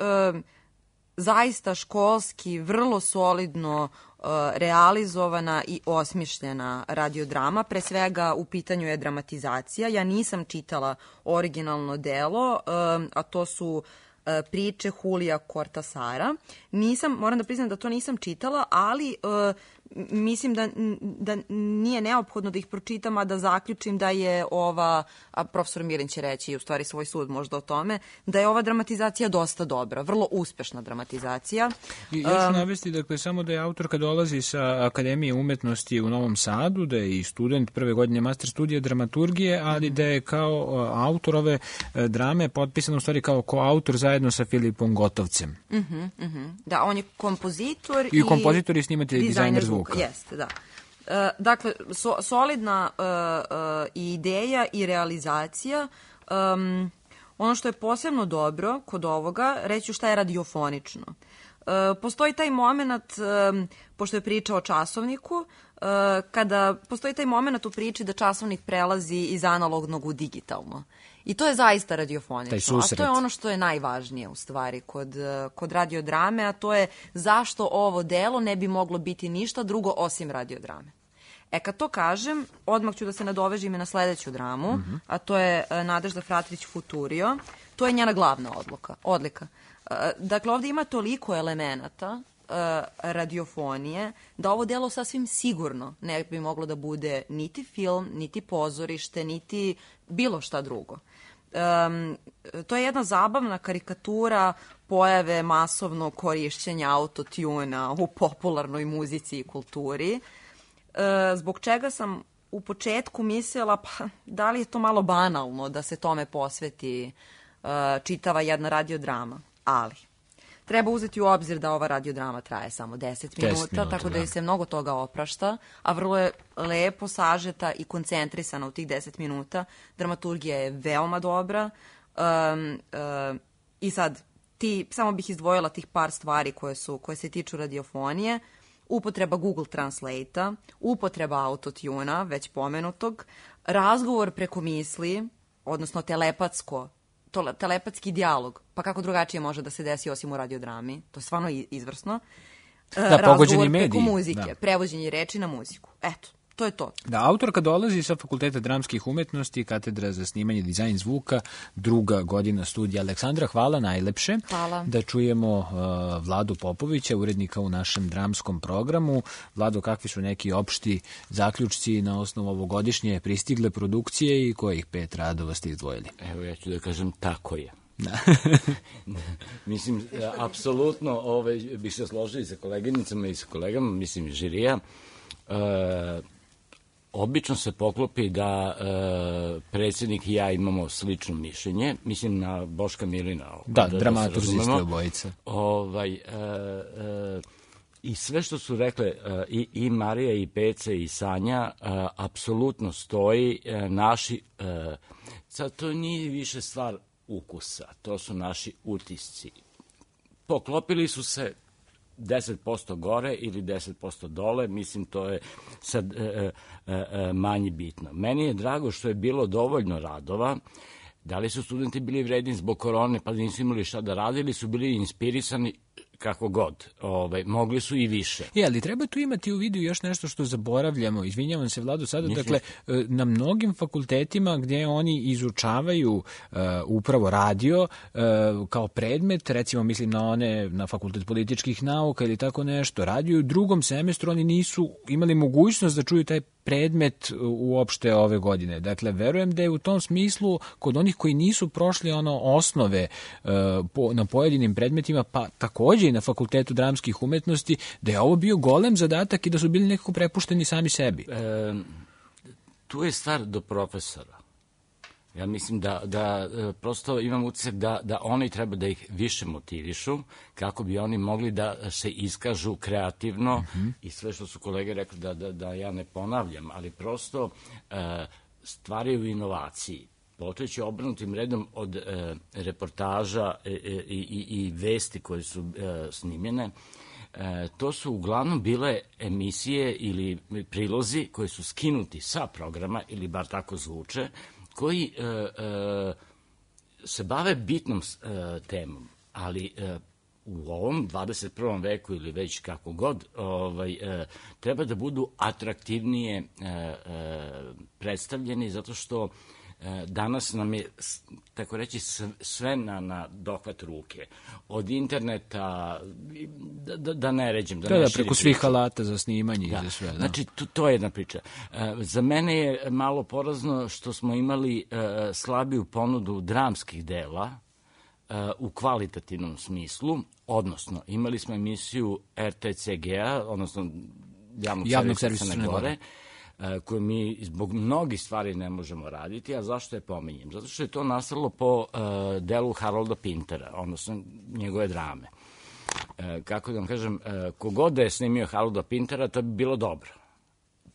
zaista školski, vrlo solidno e, realizovana i osmišljena radiodrama. Pre svega u pitanju je dramatizacija. Ja nisam čitala originalno delo, e, a to su e, priče Julija Cortasara. Nisam, moram da priznam da to nisam čitala, ali e, mislim da, da nije neophodno da ih pročitam, a da zaključim da je ova, a profesor Mirin će reći u stvari svoj sud možda o tome, da je ova dramatizacija dosta dobra, vrlo uspešna dramatizacija. I ja ću navesti, dakle, samo da je autorka dolazi sa Akademije umetnosti u Novom Sadu, da je i student prve godine master studija dramaturgije, ali da je kao autor ove drame potpisan u stvari kao koautor zajedno sa Filipom Gotovcem. Uh-huh, uh-huh. Da, on je kompozitor i... I kompozitor i snimatelj i dizajner zvuka. Jeste, da. E, dakle, so, solidna e, e, ideja i realizacija. Um, ono što je posebno dobro kod ovoga, reću šta je radiofonično. E, postoji taj moment, e, pošto je priča o časovniku, e, kada postoji taj moment u priči da časovnik prelazi iz analognog u digitalno. I to je zaista radiofonično, a to je ono što je najvažnije u stvari kod, kod radiodrame, a to je zašto ovo delo ne bi moglo biti ništa drugo osim radiodrame. E, kad to kažem, odmah ću da se nadovežim i na sledeću dramu, mm-hmm. a to je Nadežda Fratrić Futurio. To je njena glavna odluka, odlika. Dakle, ovde ima toliko elemenata radiofonije, da ovo delo sasvim sigurno ne bi moglo da bude niti film, niti pozorište, niti bilo šta drugo. Um, to je jedna zabavna karikatura pojave masovnog korišćenja autotuna u popularnoj muzici i kulturi, uh, zbog čega sam u početku mislila, pa da li je to malo banalno da se tome posveti uh, čitava jedna radiodrama, ali treba uzeti u obzir da ova radiodrama traje samo deset minuta, tako da joj se mnogo toga oprašta, a vrlo je lepo sažeta i koncentrisana u tih deset minuta. Dramaturgija je veoma dobra. Um, um, I sad, ti, samo bih izdvojila tih par stvari koje, su, koje se tiču radiofonije. Upotreba Google Translate-a, upotreba autotuna, već pomenutog, razgovor preko misli, odnosno telepatsko, to, telepatski dijalog, pa kako drugačije može da se desi osim u radiodrami, to je stvarno izvrsno. Da, pogođeni mediji. Preko muzike, da. Prevođenje reči na muziku. Eto, to je to. Da, autorka dolazi sa Fakulteta dramskih umetnosti, katedra za snimanje, dizajn zvuka, druga godina studija. Aleksandra, hvala najlepše. Hvala. Da čujemo uh, Vladu Popovića, urednika u našem dramskom programu. Vlado, kakvi su neki opšti zaključci na osnovu ovogodišnje pristigle produkcije i kojih pet radova ste izdvojili? Evo, ja ću da kažem, tako je. Da. Mislim, apsolutno ovaj, bih se složio i sa koleginicama i sa kolegama, mislim, žirija. E, obično se poklopi da e, predsjednik i ja imamo slično mišljenje, mislim na Boška Milina. Da, da dramaturzi ste obojica. Ovaj, e, e, I sve što su rekle e, i, i Marija i Peca i Sanja, e, apsolutno stoji e, naši, e, sad to nije više stvar ukusa, to su naši utisci. Poklopili su se deset posto gore ili deset posto dole, mislim to je sad e, e, e, manje bitno. Meni je drago što je bilo dovoljno radova. Da li su studenti bili vredni zbog korone pa nisu imali šta da radi ili su bili inspirisani kako god, ovaj, mogli su i više. Je, ali treba tu imati u vidu još nešto što zaboravljamo, izvinjavam se Vlado sada, Mislim. dakle, na mnogim fakultetima gdje oni izučavaju uh, upravo radio uh, kao predmet, recimo mislim na one, na Fakultet političkih nauka ili tako nešto, radio u drugom semestru oni nisu imali mogućnost da čuju taj predmet uopšte ove godine. Dakle, verujem da je u tom smislu kod onih koji nisu prošli ono osnove uh, po, na pojedinim predmetima, pa takođe i na Fakultetu dramskih umetnosti, da je ovo bio golem zadatak i da su bili nekako prepušteni sami sebi. E, tu je stvar do profesora. Ja mislim da, da prosto imam utisak da, da oni treba da ih više motivišu kako bi oni mogli da se iskažu kreativno mm-hmm. i sve što su kolege rekli da, da, da ja ne ponavljam, ali prosto e, stvari u inovaciji. Počeći obrnutim redom od e, reportaža e, e, i, i vesti koje su e, snimljene, e, to su uglavnom bile emisije ili prilozi koji su skinuti sa programa, ili bar tako zvuče, koji e, e, se bave bitnom e, temom, ali e, u ovom dvadeset prvom veku ili već kako god, ovaj, e, treba da budu atraktivnije e, e, predstavljeni, zato što danas nam je, tako reći, sve na, na dohvat ruke. Od interneta, da, da, da ne ređem. Da, da, ne da preko svih alata za snimanje da. i za sve. Da. Znači, to, to je jedna priča. E, za mene je malo porazno što smo imali e, slabiju ponudu dramskih dela e, u kvalitativnom smislu, odnosno imali smo emisiju R T C G-a, odnosno javnog, javnog servisa Crne Gore, koju mi zbog mnogih stvari ne možemo raditi, a zašto je pominjem? Zato što je to nastalo po uh, delu Harolda Pintera, odnosno njegove drame. Uh, kako da vam kažem, uh, kogod da je snimio Harolda Pintera, to bi bilo dobro.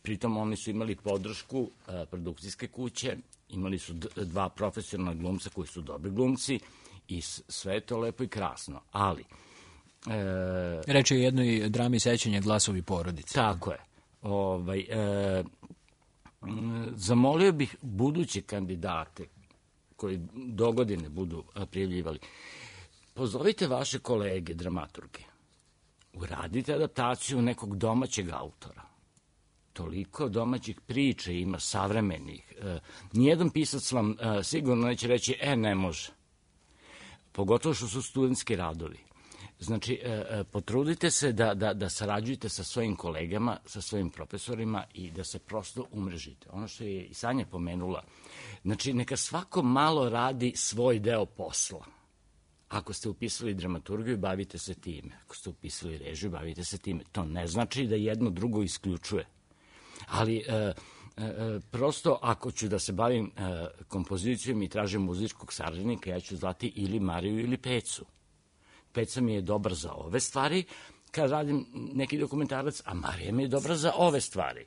Pritom oni su imali podršku uh, produkcijske kuće, imali su d- dva profesionalna glumca koji su dobri glumci i sve je to lepo i krasno, ali... Uh, Reč je o jednoj drami sećanja Glasovi porodice. Tako je. Ovaj, e, zamolio bih buduće kandidate koji dogodine budu prijavljivali, pozovite vaše kolege dramaturge, uradite adaptaciju nekog domaćeg autora. Toliko domaćih priča ima, savremenih. E, nijedan pisac vam e, sigurno neće reći, e, ne može. Pogotovo što su studentski radovi. Znači, e, potrudite se da, da, da sarađujete sa svojim kolegama, sa svojim profesorima i da se prosto umrežite. Ono što je i Sanja pomenula, znači, neka svako malo radi svoj deo posla. Ako ste upisali dramaturgiju, bavite se time. Ako ste upisali režiju, bavite se time. To ne znači da jedno drugo isključuje. Ali, e, e, prosto, ako ću da se bavim e, kompozicijom i tražim muzičkog saradnika, ja ću zvati ili Mariju ili Pecu. Peca mi je dobar za ove stvari, kad radim neki dokumentarac, a Marija mi je dobra za ove stvari.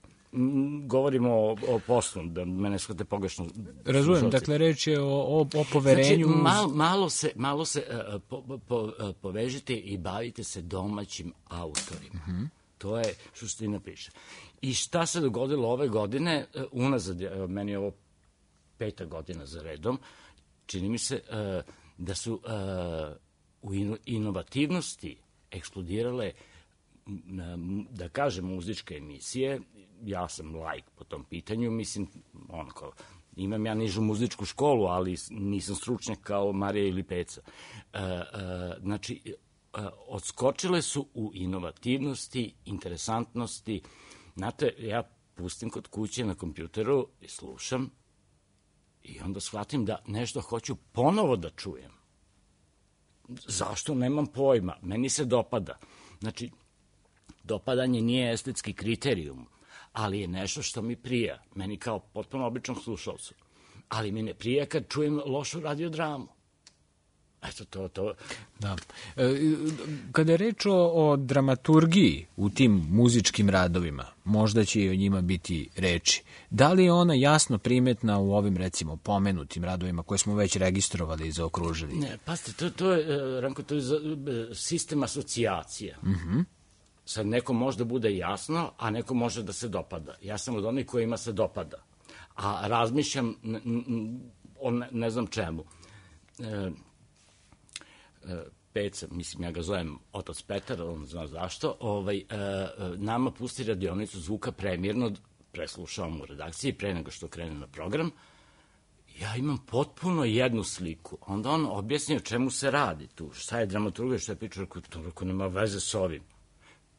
Govorimo o, o poslu, da mene shvate pogrešno. Razumem, dakle, reč je o, o, o poverenju. Znači, mal, malo se, malo se uh, po, po, uh, povežite i bavite se domaćim autorima. Uh-huh. To je suština priče. I šta se dogodilo ove godine, uh, unazad, uh, meni je ovo peta godina za redom, čini mi se uh, da su... Uh, u inovativnosti eksplodirale, da kažem, muzičke emisije. ja sam laik po tom pitanju, mislim, onako, imam ja nižu muzičku školu, ali nisam stručnjak kao Marija ili Peca. E, e, znači, e, odskočile su u inovativnosti, interesantnosti. Znate, ja pustim kod kuće na kompjuteru i slušam i onda shvatim da nešto hoću ponovo da čujem. Zašto? Nemam pojma. Meni se dopada. Znači, dopadanje nije estetski kriterijum, ali je nešto što mi prija. Meni kao potpuno običnom slušalcu. Ali mi ne prija kad čujem lošu radiodramu. Eto, to, to. Da. E, kada je reč o, o dramaturgiji u tim muzičkim radovima, možda će i o njima biti reči. Da li je ona jasno primetna u ovim, recimo, pomenutim radovima koje smo već registrovali i zaokružili? Ne, pazite, to, to je, Ranko, to je sistem asocijacija. Mhm. Sad neko možda bude jasno, a neko može da se dopada. Ja sam od onih kojima se dopada. A razmišljam o ne, ne znam čemu. E, Peca, mislim, ja ga zovem otac Petar, on zna zašto, ovaj, e, nama pusti radionicu zvuka premirno, preslušavam u redakciji pre nego što krene na program, ja imam potpuno jednu sliku. Onda on objasni o čemu se radi tu, šta je dramaturgija, šta je priča, to rako nema veze s ovim,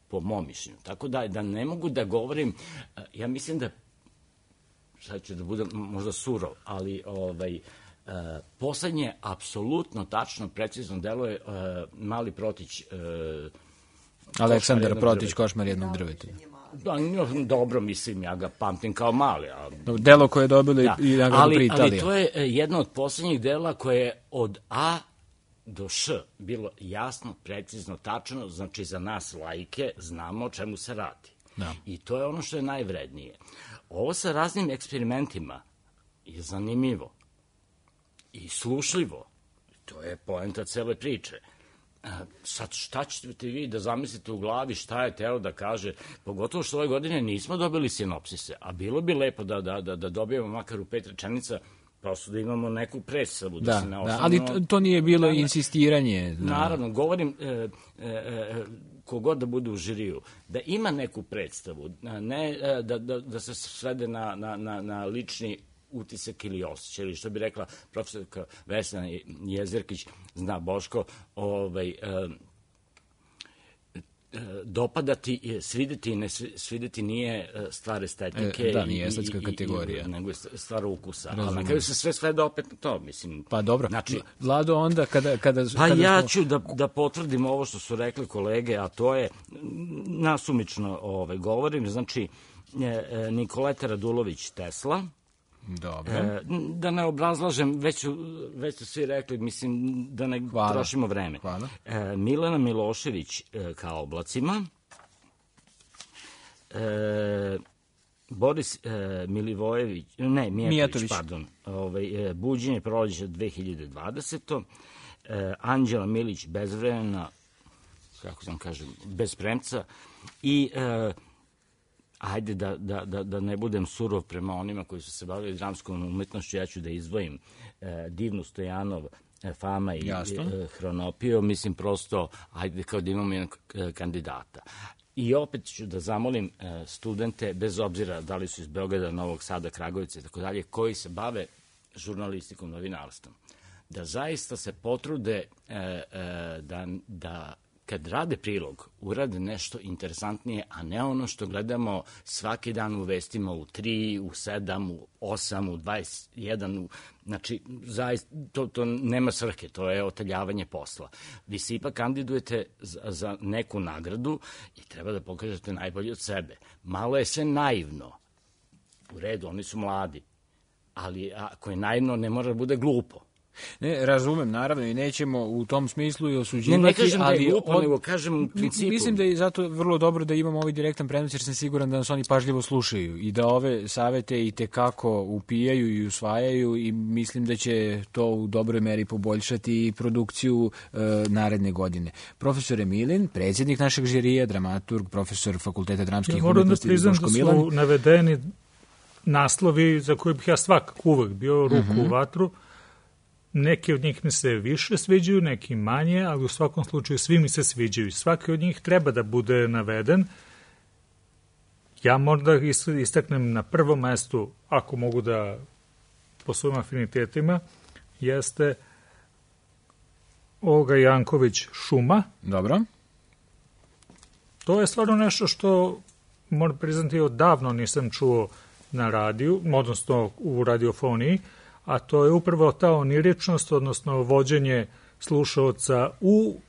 po mom mišljenju. Tako da, da ne mogu da govorim, ja mislim da, sad ću da budem možda surov, ali ovaj, Uh, poslednje, apsolutno, tačno, precizno delo je uh, Mali Protić. Uh, Aleksandar Protić, Košmar jednog drveta. Da, dobro, mislim, ja ga pamtim kao mali. A... Delo koje je dobilo da. i nagradu pri Italiji. Ali to je jedno od poslednjih dela koje je od A do Š bilo jasno, precizno, tačno, znači za nas laike znamo o čemu se radi. Da. I to je ono što je najvrednije. Ovo sa raznim eksperimentima je zanimljivo i slušljivo. To je poenta cele priče. Sad, šta ćete vi da zamislite u glavi, šta je teo da kaže, pogotovo što ove godine nismo dobili sinopsise, a bilo bi lepo da, da, da, da dobijemo makar u pet rečenica, prosto da imamo neku predstavu. Da, da, se ne da, ali to, to nije bilo da, insistiranje. Da. Naravno, govorim e, e, e, kogod da bude u žiriju, da ima neku predstavu, ne da, da, da se svede na, na, na, na lični utisak ili osjećaj, ili što bi rekla profesorka Vesna Jezerkić, zna Boško, ovaj, e, e, dopadati, svideti i ne svideti nije stvar estetike. E, da, nije estetska kategorija. I, nego je stvar ukusa. Razumem. Ali na kraju se sve svede opet na to, mislim. Pa dobro, znači, Vlado, onda kada... kada pa kada ja smo... ću da, da potvrdim ovo što su rekli kolege, a to je, nasumično ovaj, govorim, znači, e, Nikoleta Radulović Tesla, dobro. E, da ne obrazlažem, već su, već su svi rekli, mislim, da ne Hvala. trošimo vreme. Hvala. E, Milena Milošević e, ka oblacima, e, Boris e, Milivojević, ne, Mijatović, Mijatović. pardon, ovaj, e, Buđenje proleća dve hiljade dvadesete. E, Anđela Milić Bezvremena, kako sam kažem, bez premca, i e, ajde da, da, da, da ne budem surov prema onima koji su se bavili dramskom umetnošću, ja ću da izdvojim e, Divnu Stojanov, e, Fama i e, Hronopio, mislim prosto, ajde kao da imamo jednog e, kandidata. I opet ću da zamolim e, studente, bez obzira da li su iz Beograda, Novog Sada, Kragovica i tako dalje, koji se bave žurnalistikom, novinarstvom, da zaista se potrude e, e, da, da kad rade prilog, urade nešto interesantnije, a ne ono što gledamo svaki dan u vestima u tri, u sedam, u osam, u dvadeset jedan, u, znači, zaista, to, to nema svrhe, to je oteljavanje posla. Vi se ipak kandidujete za, za neku nagradu i treba da pokažete najbolje od sebe. Malo je sve naivno. U redu, oni su mladi, ali ako je naivno, ne mora da bude glupo. Ne, razumem, naravno, i nećemo u tom smislu i osuđivati. Ne, ne kažem ali da je glupo, od... nego kažem u principu. Mislim da je zato vrlo dobro da imamo ovaj direktan prenos, jer sam siguran da nas oni pažljivo slušaju i da ove savete i tekako upijaju i usvajaju i mislim da će to u dobroj meri poboljšati i produkciju e, naredne godine. Profesor Emilin, predsjednik našeg žirija, dramaturg, profesor Fakulteta dramskih ja, umetnosti Boško Milan. Moram da priznam da su navedeni naslovi za koje bih ja svakako uvek bio ruku uh-huh. u vatru. Neki od njih mi se više sviđaju, neki manje, ali u svakom slučaju svi mi se sviđaju. Svaki od njih treba da bude naveden, Ja možda istaknem na prvom mestu, ako mogu da po svojim afinitetima, jeste Olga Janković Šuma. Dobro. To je stvarno nešto što, moram priznati, odavno nisam čuo na radiju, odnosno u radiofoniji, a to je upravo ta oniričnost, odnosno vođenje slušaoca u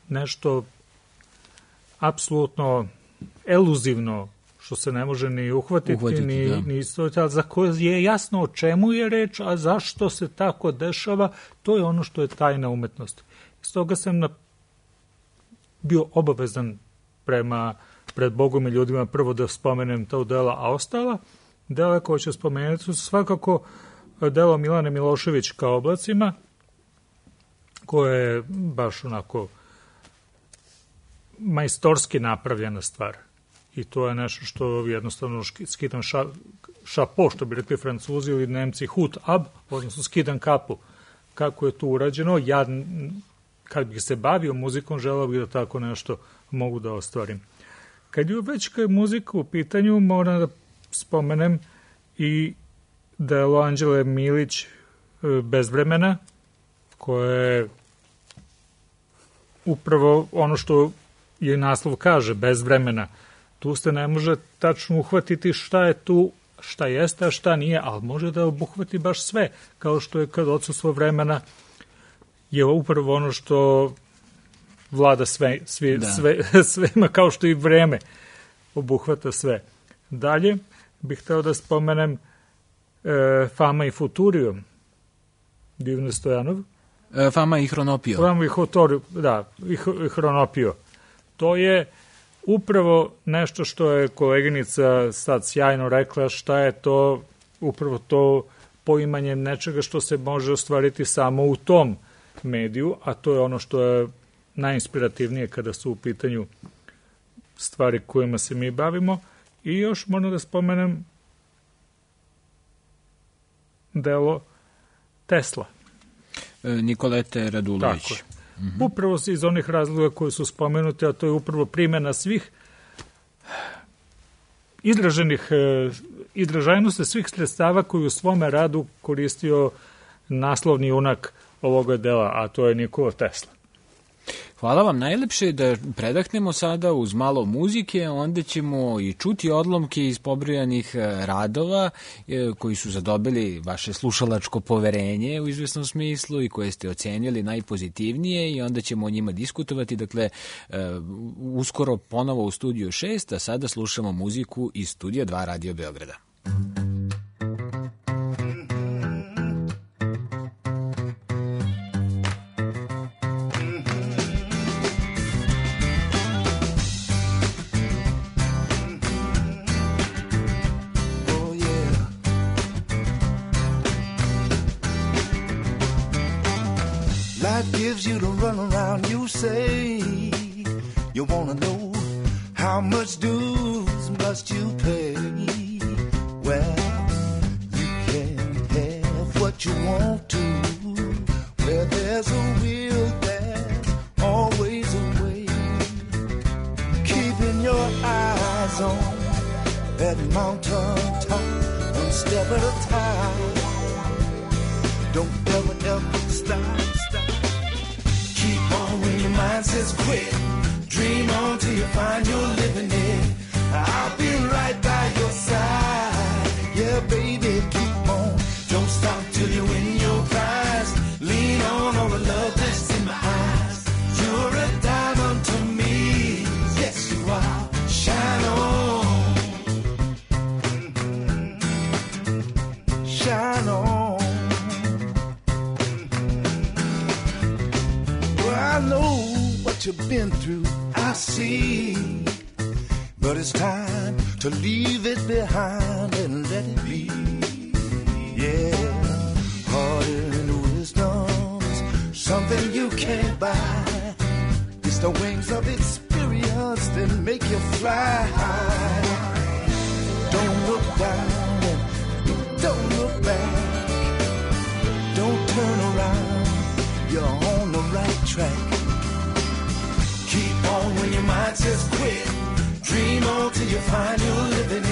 nešto apsolutno eluzivno, što se ne može ni uhvatiti, uhvatiti ni, da. ni istoviti, za koje je jasno o čemu je reč, a zašto se tako dešava, to je ono što je tajna umetnosti. Iz toga sam na, bio obavezan prema, pred Bogom i ljudima prvo da spomenem to dela, a ostala dela koje ću spomenuti su svakako delo Milane Milošević Ka oblacima, koje je baš onako majstorski napravljena stvar. I to je nešto što jednostavno skidam ša, šapo, što bi rekli Francuzi ili Nemci, hut ab, odnosno skidam kapu. Kako je to urađeno, ja kad bih se bavio muzikom, želeo bih da tako nešto mogu da ostvarim. Kad je već kad je muzika u pitanju, moram da spomenem i delo Anđele Milić Bez vremena, koje je upravo ono što je naslov kaže, bez vremena. Tu ste ne može tačno uhvatiti šta je tu, šta jeste, a šta nije, ali može da obuhvati baš sve, kao što je kad odsustvo vremena je upravo ono što vlada sve, sve, da. sve, svema, kao što i vreme obuhvata sve. Dalje bih hteo da spomenem e, Fama i Futurio, Divne Stojanov. E, Fama i Hronopio. Fama i Futurio, da, i Hronopio. To je upravo nešto što je koleginica sad sjajno rekla, šta je to, upravo to poimanje nečega što se može ostvariti samo u tom mediju, a to je ono što je najinspirativnije kada su u pitanju stvari kojima se mi bavimo. I još moram da spomenem delo Tesla. E, Nikolete Radulović. Tako je. Mm-hmm. Upravo iz onih razloga koji su spomenuti, a to je upravo primjena svih izraženih, izražajnosti svih sredstava koji u svome radu koristio naslovni junak ovoga dela, a to je Nikola Tesla. Hvala vam najlepše, da predahnemo sada uz malo muzike, onda ćemo i čuti odlomke iz pobrojanih radova koji su zadobili vaše slušalačko poverenje u izvesnom smislu i koje ste ocenili najpozitivnije i onda ćemo o njima diskutovati. Dakle, uskoro ponovo u Studiju šest, a sada slušamo muziku iz Studija dva Radio Beograda. Gives you to run around, you say you wanna know how much dues must you pay. Well, you can have what you want to. Where there's a will, there's always a way. Keeping your eyes on that mountain top, one step at a time. Don't ever, ever stop. When your mind says quit, dream on till you find you're living it. I'll be right by your side. Yeah, baby, keep on. Don't stop till you win your prize. Lean on all the love that's in my eyes. You're a diamond to me. Yes, you are. Shine on. Shine on. I know what you've been through, I see. But it's time to leave it behind and let it be. Yeah, heart and wisdom's something you can't buy. It's the wings of experience that make you fly high. Don't look down and don't look back. Don't turn around, you're on the right track. Keep on when your mind says quit. Dream on till you find you're living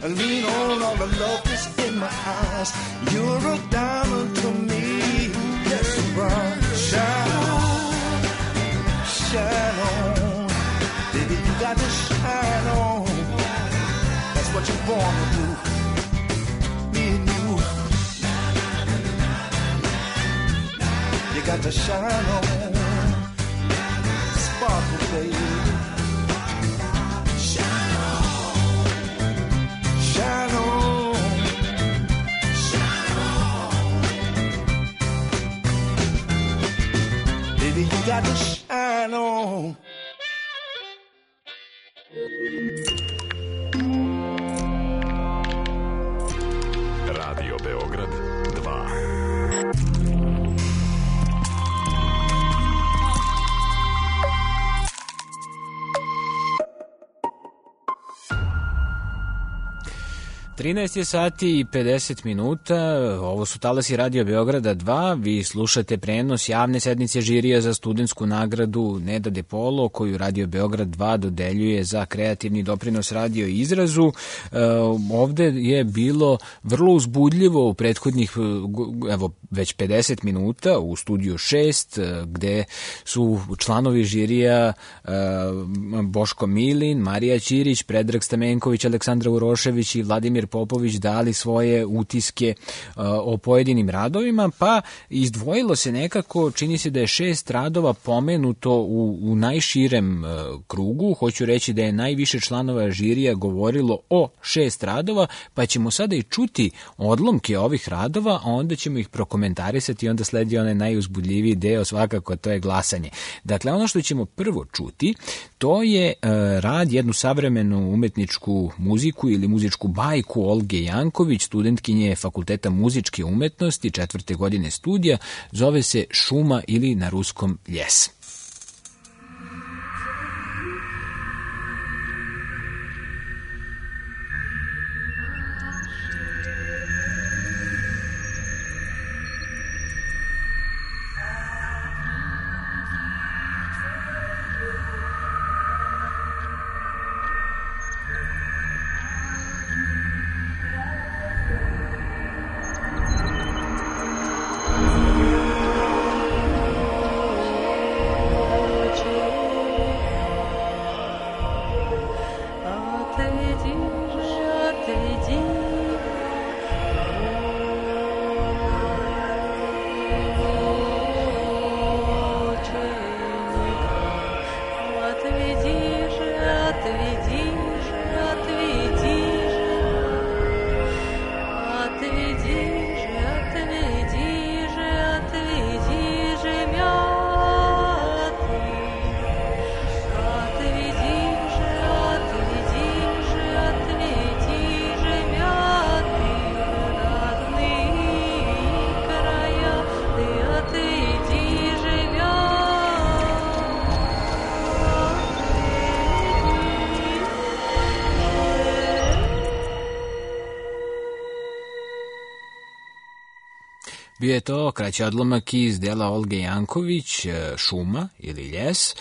lean on all the love that's in my eyes. You're a diamond to me. Yes, you are. Shine on, shine on, baby, you got to shine on. That's what you're born to do. Me and you, you got to shine on, sparkle, baby. Shine on, shine on, shine on, baby, you got to shine on. Radio Beograd dva. trinaest je sati i pedeset minuta, ovo su talasi Radio Beograda dva, vi slušate prenos javne sednice žirija za studentsku nagradu Neda De Polo, koju Radio Beograd dva dodeljuje za kreativni doprinos radio i izrazu. E, ovde je bilo vrlo uzbudljivo u prethodnih, evo, već pedeset minuta u studiju šest, gde su članovi žirija e, Boško Milin, Marija Ćirić, Predrag Stamenković, Aleksandra Urošević i Vladimir Popović dali svoje utiske uh, o pojedinim radovima, pa izdvojilo se nekako, čini se da je šest radova pomenuto u, u najširem uh, krugu. Hoću reći da je najviše članova žirija govorilo o šest radova, pa ćemo sada i čuti odlomke ovih radova, a onda ćemo ih prokomentarisati i onda sledi onaj najuzbudljiviji deo, svakako, to je glasanje. Dakle, ono što ćemo prvo čuti, to je uh, rad, jednu savremenu umetničku muziku ili muzičku bajku Olge Janković, studentkinje Fakulteta muzičke umetnosti, četvrte godine studija, zove se Šuma ili na ruskom Ljes. Bio je to kraći odlomak iz dela Olge Janković, Šuma ili Ljes,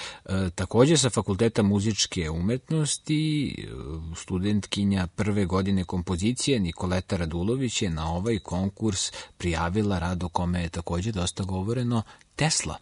također sa Fakulteta muzičke umetnosti, studentkinja prve godine kompozicije Nikoleta Radulović je na ovaj konkurs prijavila rad o kome je također dosta govoreno, Tesla.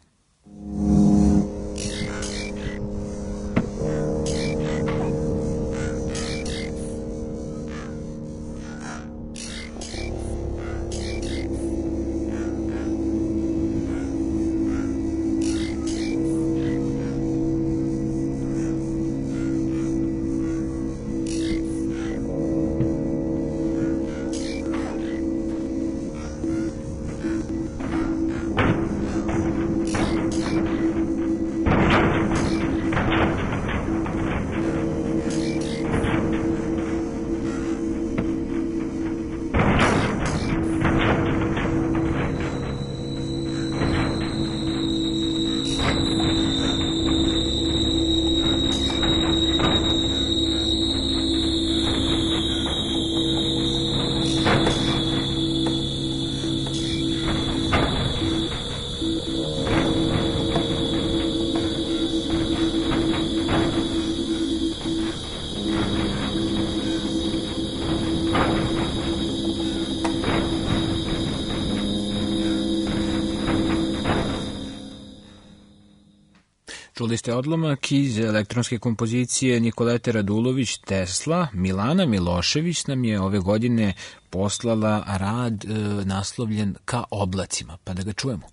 Čuli ste odlomak iz elektronske kompozicije Nikolete Radulović Tesla. Milana Milošević nam je ove godine poslala rad e, naslovljen Ka oblacima, pa da ga čujemo.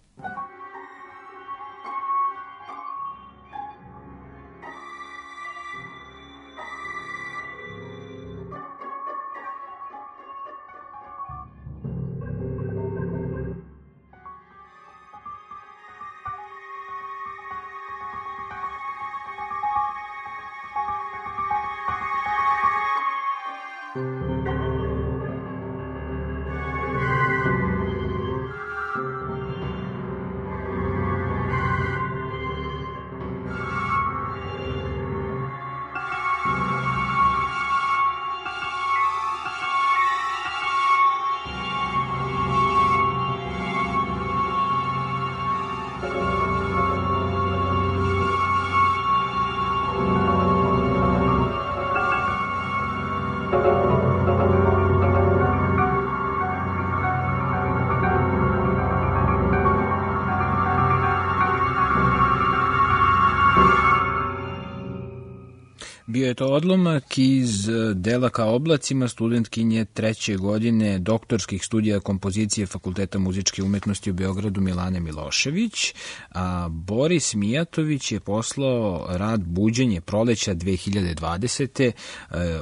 Bio je to odlomak iz dela Ka oblacima studentkinje treće godine doktorskih studija kompozicije Fakulteta muzičke umetnosti u Beogradu Milane Milošević, a Boris Mijatović je poslao rad Buđenje proleća dve hiljade dvadesete.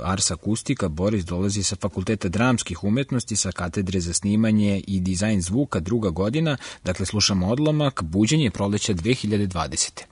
Ars akustika. Boris dolazi sa Fakulteta dramskih umetnosti, sa katedre za snimanje i dizajn zvuka, druga godina. Dakle, slušamo odlomak Buđenje proleća dve hiljade dvadesete.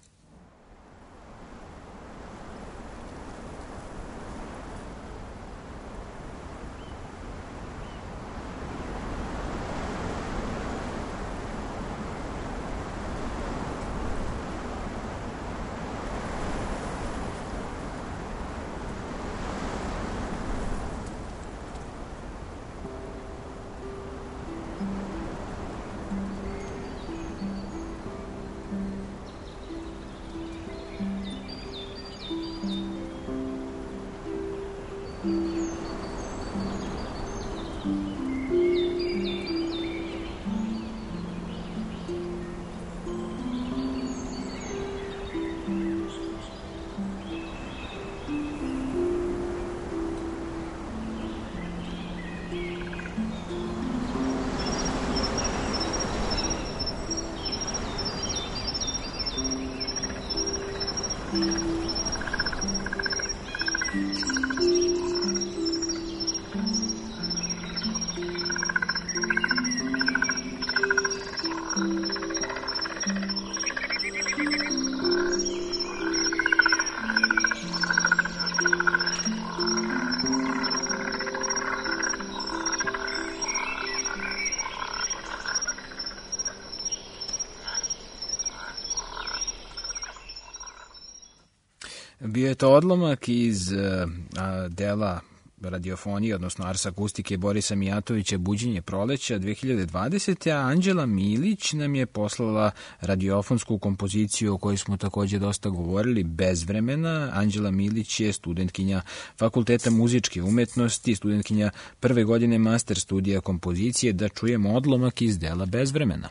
Bio je to odlomak iz a, dela radiofonije, odnosno Ars akustike Borisa Mijatovića Buđenje proleća dve hiljade dvadesete. A Anđela Milić nam je poslala radiofonsku kompoziciju o kojoj smo takođe dosta govorili, Bez vremena. Anđela Milić je studentkinja Fakulteta muzičke umetnosti, studentkinja prve godine master studija kompozicije. Da čujemo odlomak iz dela Bez vremena.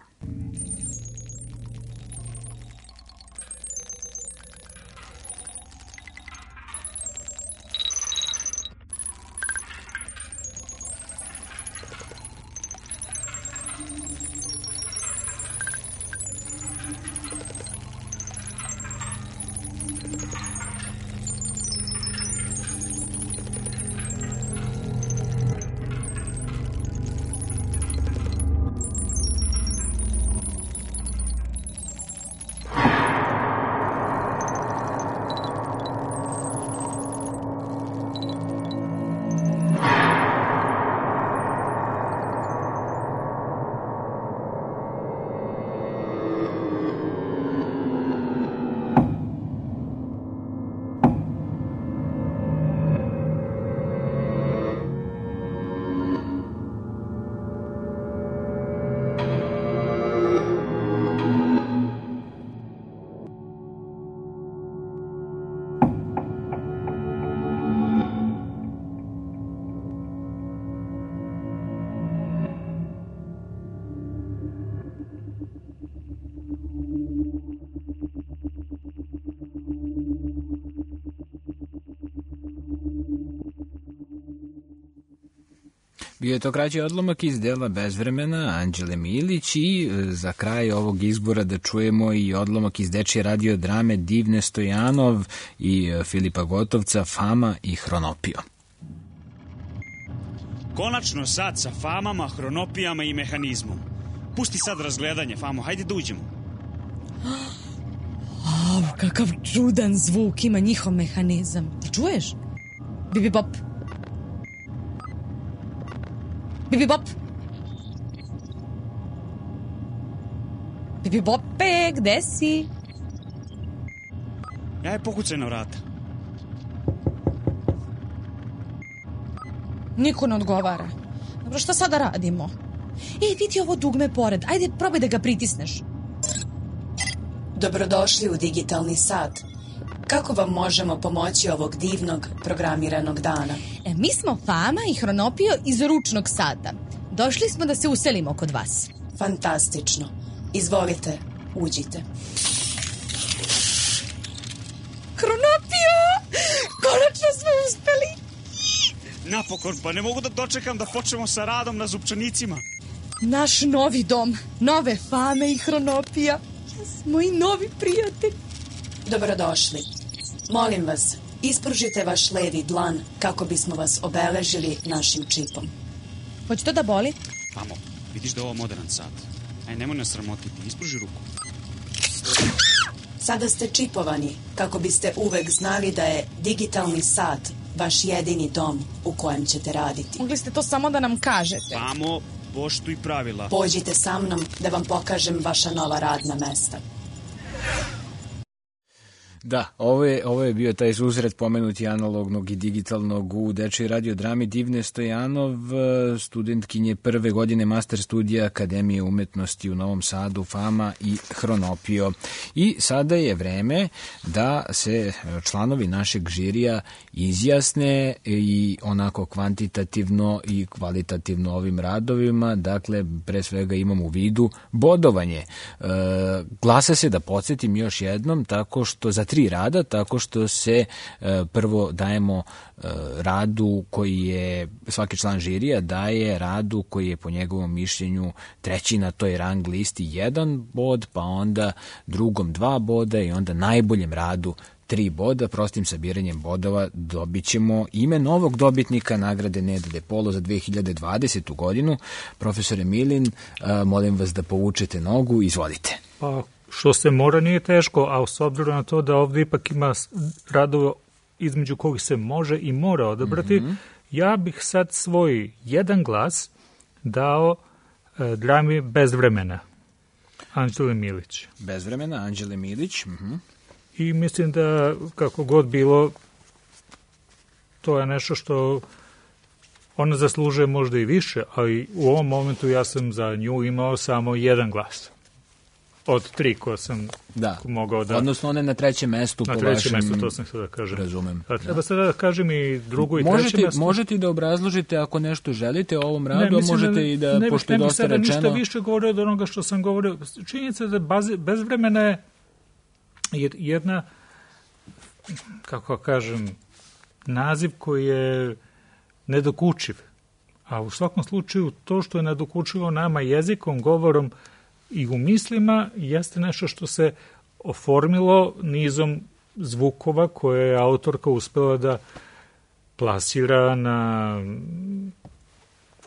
Bio je to kraći odlomak iz dela Bezvremena Anđele Milić i za kraj ovog izbora da čujemo i odlomak iz dečije radio drame Divne Stojanov i Filipa Gotovca Fama i Hronopio. Konačno sad sa famama, hronopijama i mehanizmom. Pusti sad razgledanje, Famo, hajde da uđemo. Oh, kakav čudan zvuk ima njihov mehanizam. Ti čuješ? Bibi Bop. Bibi Bop. Bibi Bope, gde si? Ja je pokucaj na vrata. Niko ne odgovara. Dobro, šta sada radimo? Ej, vidi ovo dugme pored. Ajde, probaj da ga pritisneš. Dobrodošli u digitalni sat. Kako vam možemo pomoći ovog divnog programiranog dana? E, mi smo Fama i Hronopio iz ručnog sata. Došli smo da se uselimo kod vas. Fantastično. Izvolite, uđite. Hronopio! Konačno smo uspeli! Napokon, pa ne mogu da dočekam da počnemo sa radom na zupčanicima. Naš novi dom, nove Fame i Hronopija. Moji novi prijatelji. Dobrodošli. Molim vas, ispružite vaš levi dlan kako bismo vas obeležili našim čipom. Hoće to da boli? Famo, vidiš da je ovo modern sat. Aj, nemoj nas sramotiti, ispruži ruku. Sada ste čipovani kako biste uvek znali da je digitalni sat vaš jedini dom u kojem ćete raditi. Mogli ste to samo da nam kažete. Famo, poštuj pravila. Pođite sa mnom da vam pokažem vaša nova radna mesta. Da, ovo je, ovo je bio taj susret pomenuti analognog i digitalnog u dečoj radiodrami Divne Stojanov, studentkinje prve godine master studija Akademije umetnosti u Novom Sadu, Fama i Hronopio. I sada je vreme da se članovi našeg žirija izjasne i onako kvantitativno i kvalitativno ovim radovima, dakle pre svega imam u vidu bodovanje. E, glasa se, da podsjetim još jednom, tako što za tri rada, tako što se e, prvo dajemo e, radu koji je, svaki član žirija daje radu koji je po njegovom mišljenju treći na toj rang listi jedan bod, pa onda drugom dva boda i onda najboljem radu tri boda. Prostim sabiranjem bodova dobit ćemo ime novog dobitnika nagrade Neda de Polo za dve hiljade dvadesetu godinu. Profesore Milin, a, molim vas da povučete nogu, izvolite. Pa, što se mora nije teško, a s obzirom na to da ovdje ipak ima radova između kojih se može i mora odabrati, mm-hmm. ja bih sad svoj jedan glas dao e, drami Bezvremena, Anđele Milić. Bezvremena, Anđele Milić. Mhm. I mislim da, kako god bilo, to je nešto što ona zaslužuje možda i više, ali u ovom momentu ja sam za nju imao samo jedan glas. Od tri koje sam da. mogao da... Odnosno one na trećem mestu. Na po trećem vašem... mestu, to sam sada da kažem. Razumem. A treba da. sada da kažem i drugo i možete, treće mesto. Možete da obrazložite ako nešto želite o ovom radu, ne, možete da, i da, ne, pošto je dosta rečeno... Ne bih sada ništa više govorio od onoga što sam govorio. Činjenica da baze, Bezvremena je jedna, kako kažem, naziv koji je nedokučiv. A u svakom slučaju to što je nedokučivo nama jezikom, govorom i u mislima jeste nešto što se oformilo nizom zvukova koje je autorka uspela da plasira na,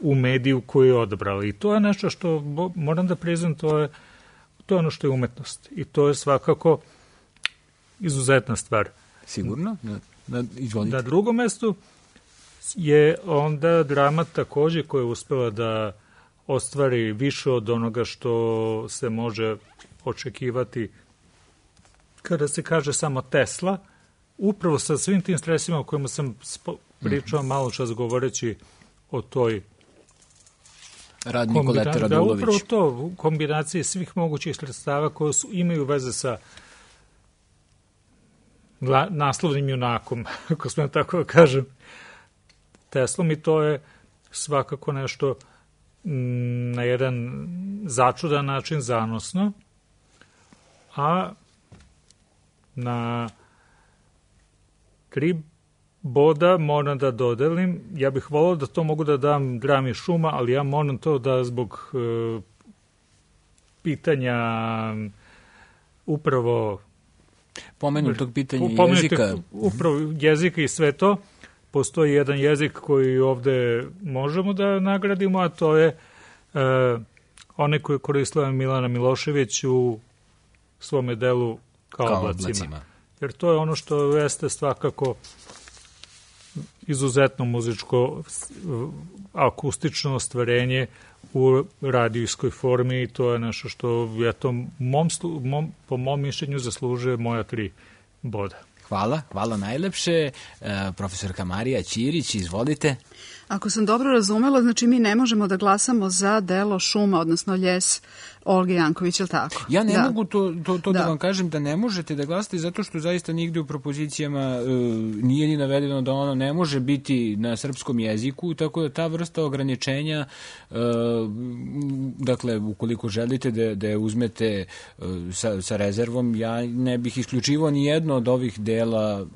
u mediju koju je odabrala. I to je nešto što, moram da priznam, to je, to je ono što je umetnost. I to je svakako izuzetna stvar. Sigurno? Na, na, izvolite. Na drugom mestu je onda drama takođe koja je uspela da ostvari više od onoga što se može očekivati kada se kaže samo Tesla, upravo sa svim tim stresima o kojima sam pričao mm-hmm. malo čas govoreći o toj Rad Nikoleta Radulović. Da, upravo to, u kombinaciji svih mogućih sredstava koje su, imaju veze sa gla, naslovnim junakom, ako smem tako da kažem, Teslom, i to je svakako nešto na jedan začudan način zanosno, a na tri boda moram da dodelim. Ja bih volao da to mogu da dam drami Šuma, ali ja moram to da zbog e, pitanja upravo pomenutog pitanja pomenutog, jezika. Upravo jezika i sve to. Postoji jedan jezik koji ovde možemo da nagradimo, a to je e, onaj koji je koristila Milana Milošević u svome delu Kao, Kao oblacima. oblacima. Jer to je ono što jeste svakako izuzetno muzičko akustično ostvarenje u radijskoj formi i to je nešto što ja to mom, mom, po mom mišljenju zaslužuje moja tri boda. Hvala, hvala najlepše. E, profesorka Marija Ćirić, izvolite. Ako sam dobro razumela, znači mi ne možemo da glasamo za delo Šuma, odnosno Ljes Olge Janković, je li tako? Ja ne da. mogu to, to, to da. da vam kažem da ne možete da glasate zato što zaista nigde u propozicijama e, nije ni navedeno da ono ne može biti na srpskom jeziku, tako da ta vrsta ograničenja, e, dakle, ukoliko želite da, da je uzmete e, sa, sa rezervom, ja ne bih isključivao ni jedno od ovih dela,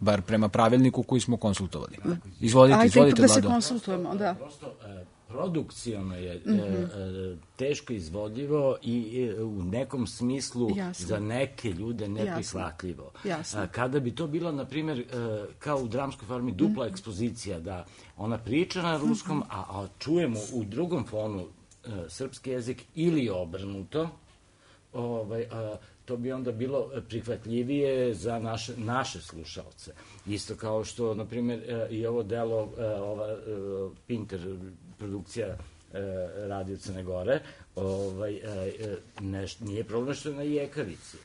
bar prema pravilniku koji smo konsultovali. Izvolite, Ajde, izvolite, da Vlado. se konsultujemo, da. Prosto, e, produkciono je mm-hmm. e, teško izvodljivo i e, u nekom smislu Jasno. za neke ljude neprihvatljivo. Jasno. Kada bi to bila, na primjer, e, kao u dramskoj formi dupla mm-hmm. ekspozicija, da ona priča na ruskom, mm-hmm. a, a čujemo u drugom fonu e, srpski jezik ili obrnuto, ovaj, a, to bi onda bilo prihvatljivije za naše, naše slušalce. Isto kao što, na primjer, i ovo delo, ova Pinter produkcija Radio Crne Gore, ovaj, neš, nije problem što je na jekavici.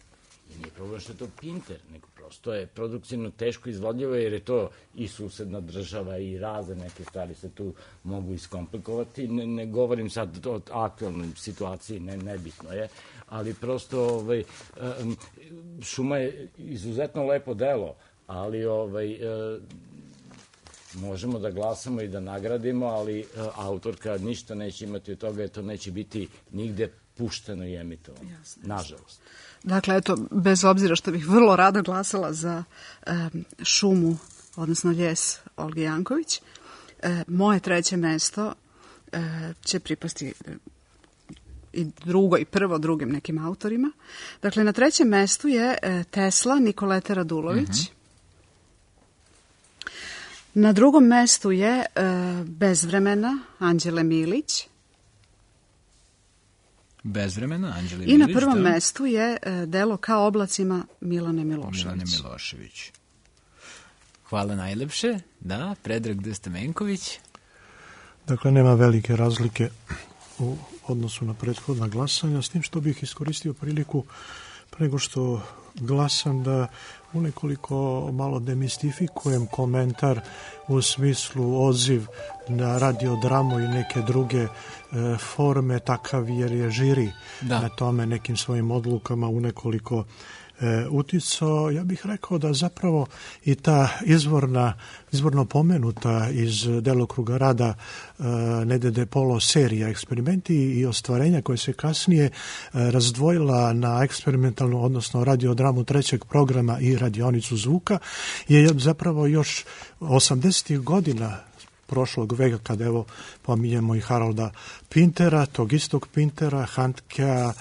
I nije problem što je to Pinter, nego prosto je produkcijno teško izvodljivo, jer je to i susedna država i razne neke stvari se tu mogu iskomplikovati. Ne, ne govorim sad o aktualnoj situaciji, ne, nebitno je, ali prosto ovaj, um, Šuma je izuzetno lepo delo, ali ovaj, uh, možemo da glasamo i da nagradimo, ali uh, autorka ništa neće imati od toga, jer to neće biti nigde pušteno i emitovano, nažalost. Dakle, eto, bez obzira što bih vrlo rado glasala za um, Šumu, odnosno Ljes Olge Janković, e, moje treće mesto e, će pripasti i drugo i prvo drugim nekim autorima. Dakle, na trećem mestu je e, Tesla Nikolete Radulović. Mm-hmm. Na drugom mestu je e, Bez vremena Anđele Milić. Bez vremena Anđele Milić. I na prvom da. mestu je e, delo Kao oblacima Milane Milošević. Milane Milošević. Hvala najlepše. Da, Predrag D. Stamenković. Dakle, nema velike razlike u odnosu na prethodna glasanja, s tim što bih iskoristio priliku pre nego što glasam da u nekoliko malo demistifikujem komentar u smislu odziv na radiodramu i neke druge e, forme, takav jer je žiri da. na tome nekim svojim odlukama u nekoliko E, uticao, ja bih rekao da zapravo i ta izvorna, izvorno pomenuta iz delokruga rada e, Nede de Polo serija eksperimenti i ostvarenja koje se kasnije e, razdvojila na eksperimentalnu, odnosno radiodramu trećeg programa i radionicu zvuka, je zapravo još osamdesetih godina prošlog veka, kad evo pominjemo i Harolda Pintera, tog istog Pintera, Handkea, e,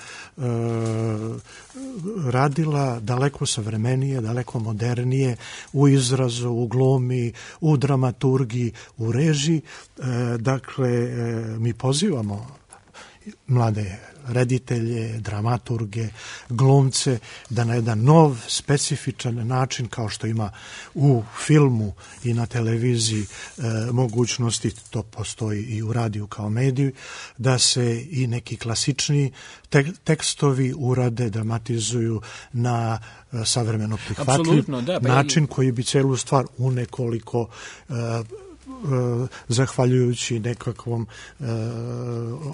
radila daleko savremenije, daleko modernije u izrazu, u glumi, u dramaturgiji, u režiji. E, dakle, e, mi pozivamo mlade reditelje, dramaturge, glumce, da na jedan nov, specifičan način, kao što ima u filmu i na televiziji e, mogućnosti, to postoji i u radiju kao mediju, da se i neki klasični te, tekstovi urade, dramatizuju na e, savremeno prihvatljiv da, pa način i... koji bi celu stvar u nekoliko e, zahvaljujući nekakvom e,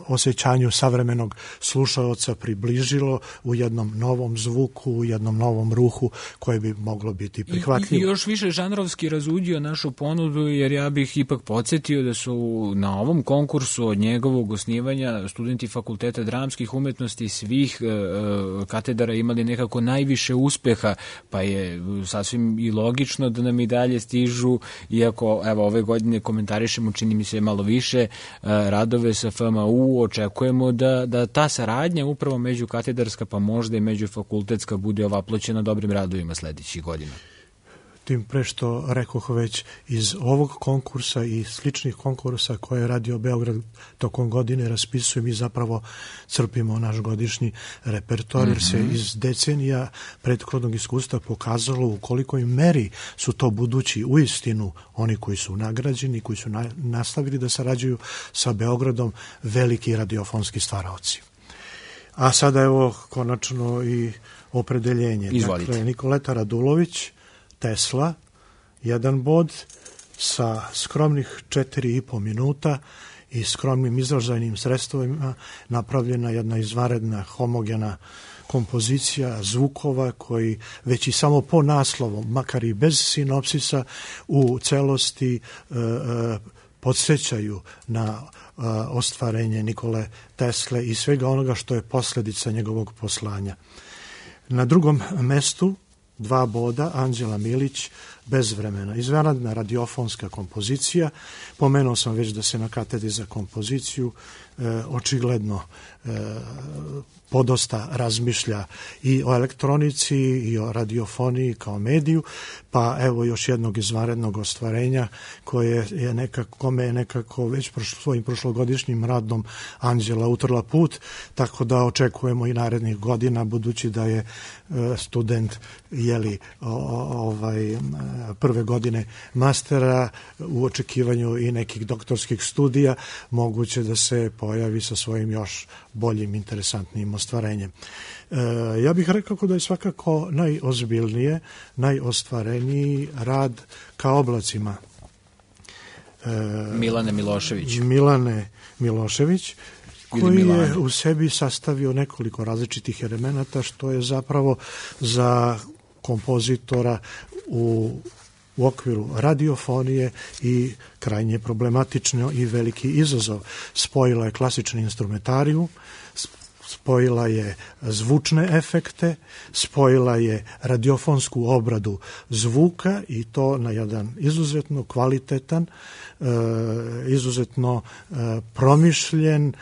osjećanju savremenog slušaoca približilo u jednom novom zvuku, u jednom novom ruhu koje bi moglo biti prihvatljivo. I, i još više žanrovski razuđio našu ponudu, jer ja bih ipak podsjetio da su na ovom konkursu od njegovog osnivanja studenti Fakulteta dramskih umetnosti svih e, katedara imali nekako najviše uspeha, pa je sasvim i logično da nam i dalje stižu, iako evo ove godine komentarišemo, čini mi se malo više, radove sa F M U, očekujemo da, da ta saradnja upravo međukatedarska, pa možda i međufakultetska, bude ovaploćena dobrim radovima sledećih godina. Tim pre što rekoh već, iz ovog konkursa i sličnih konkursa koje je Radio Beograd tokom godine raspisuje, mi zapravo crpimo naš godišnji repertoar, jer se iz decenija prethodnog iskustva pokazalo u kolikoj meri su to budući uistinu oni koji su nagrađeni, koji su na, nastavili da sarađuju sa Beogradom, veliki radiofonski stvaraoci. A sada evo konačno i opredeljenje. Izvolite. Dakle, Nikoleta Radulović, Tesla, jedan bod sa skromnih četiri i po minuta i skromnim izražajnim sredstvima napravljena jedna izvanredna homogena kompozicija zvukova koji već i samo po naslovu, makar i bez sinopsisa, u celosti e, e, podsjećaju na e, ostvarenje Nikole Tesle i svega onoga što je posledica njegovog poslanja. Na drugom mestu dva boda, Anđela Milić, Bez vremena. Izvanredna radiofonska kompozicija. Pomenuo sam već da se na katedri za kompoziciju e, očigledno e, podosta razmišlja i o elektronici i o radiofoniji kao mediju, pa evo još jednog izvanrednog ostvarenja koje je nekako, kome je nekako već prošlo, svojim prošlogodišnjim radom Anđela utrla put, tako da očekujemo i narednih godina, budući da je e, student jeli o, ovaj prve godine mastera, u očekivanju i nekih doktorskih studija, moguće da se pojavi sa svojim još boljim, interesantnim ostvarenjem. E, ja bih rekao da je svakako najozbiljnije, najostvareniji rad Ka oblacima. E, Milane Milošević. Milane Milošević, koji je u sebi sastavio nekoliko različitih elemenata, što je zapravo za kompozitora u u okviru radiofonije i krajnje problematično i veliki izazov. Spojila je klasični instrumentariju, spojila je zvučne efekte, spojila je radiofonsku obradu zvuka i to na jedan izuzetno kvalitetan, izuzetno promišljen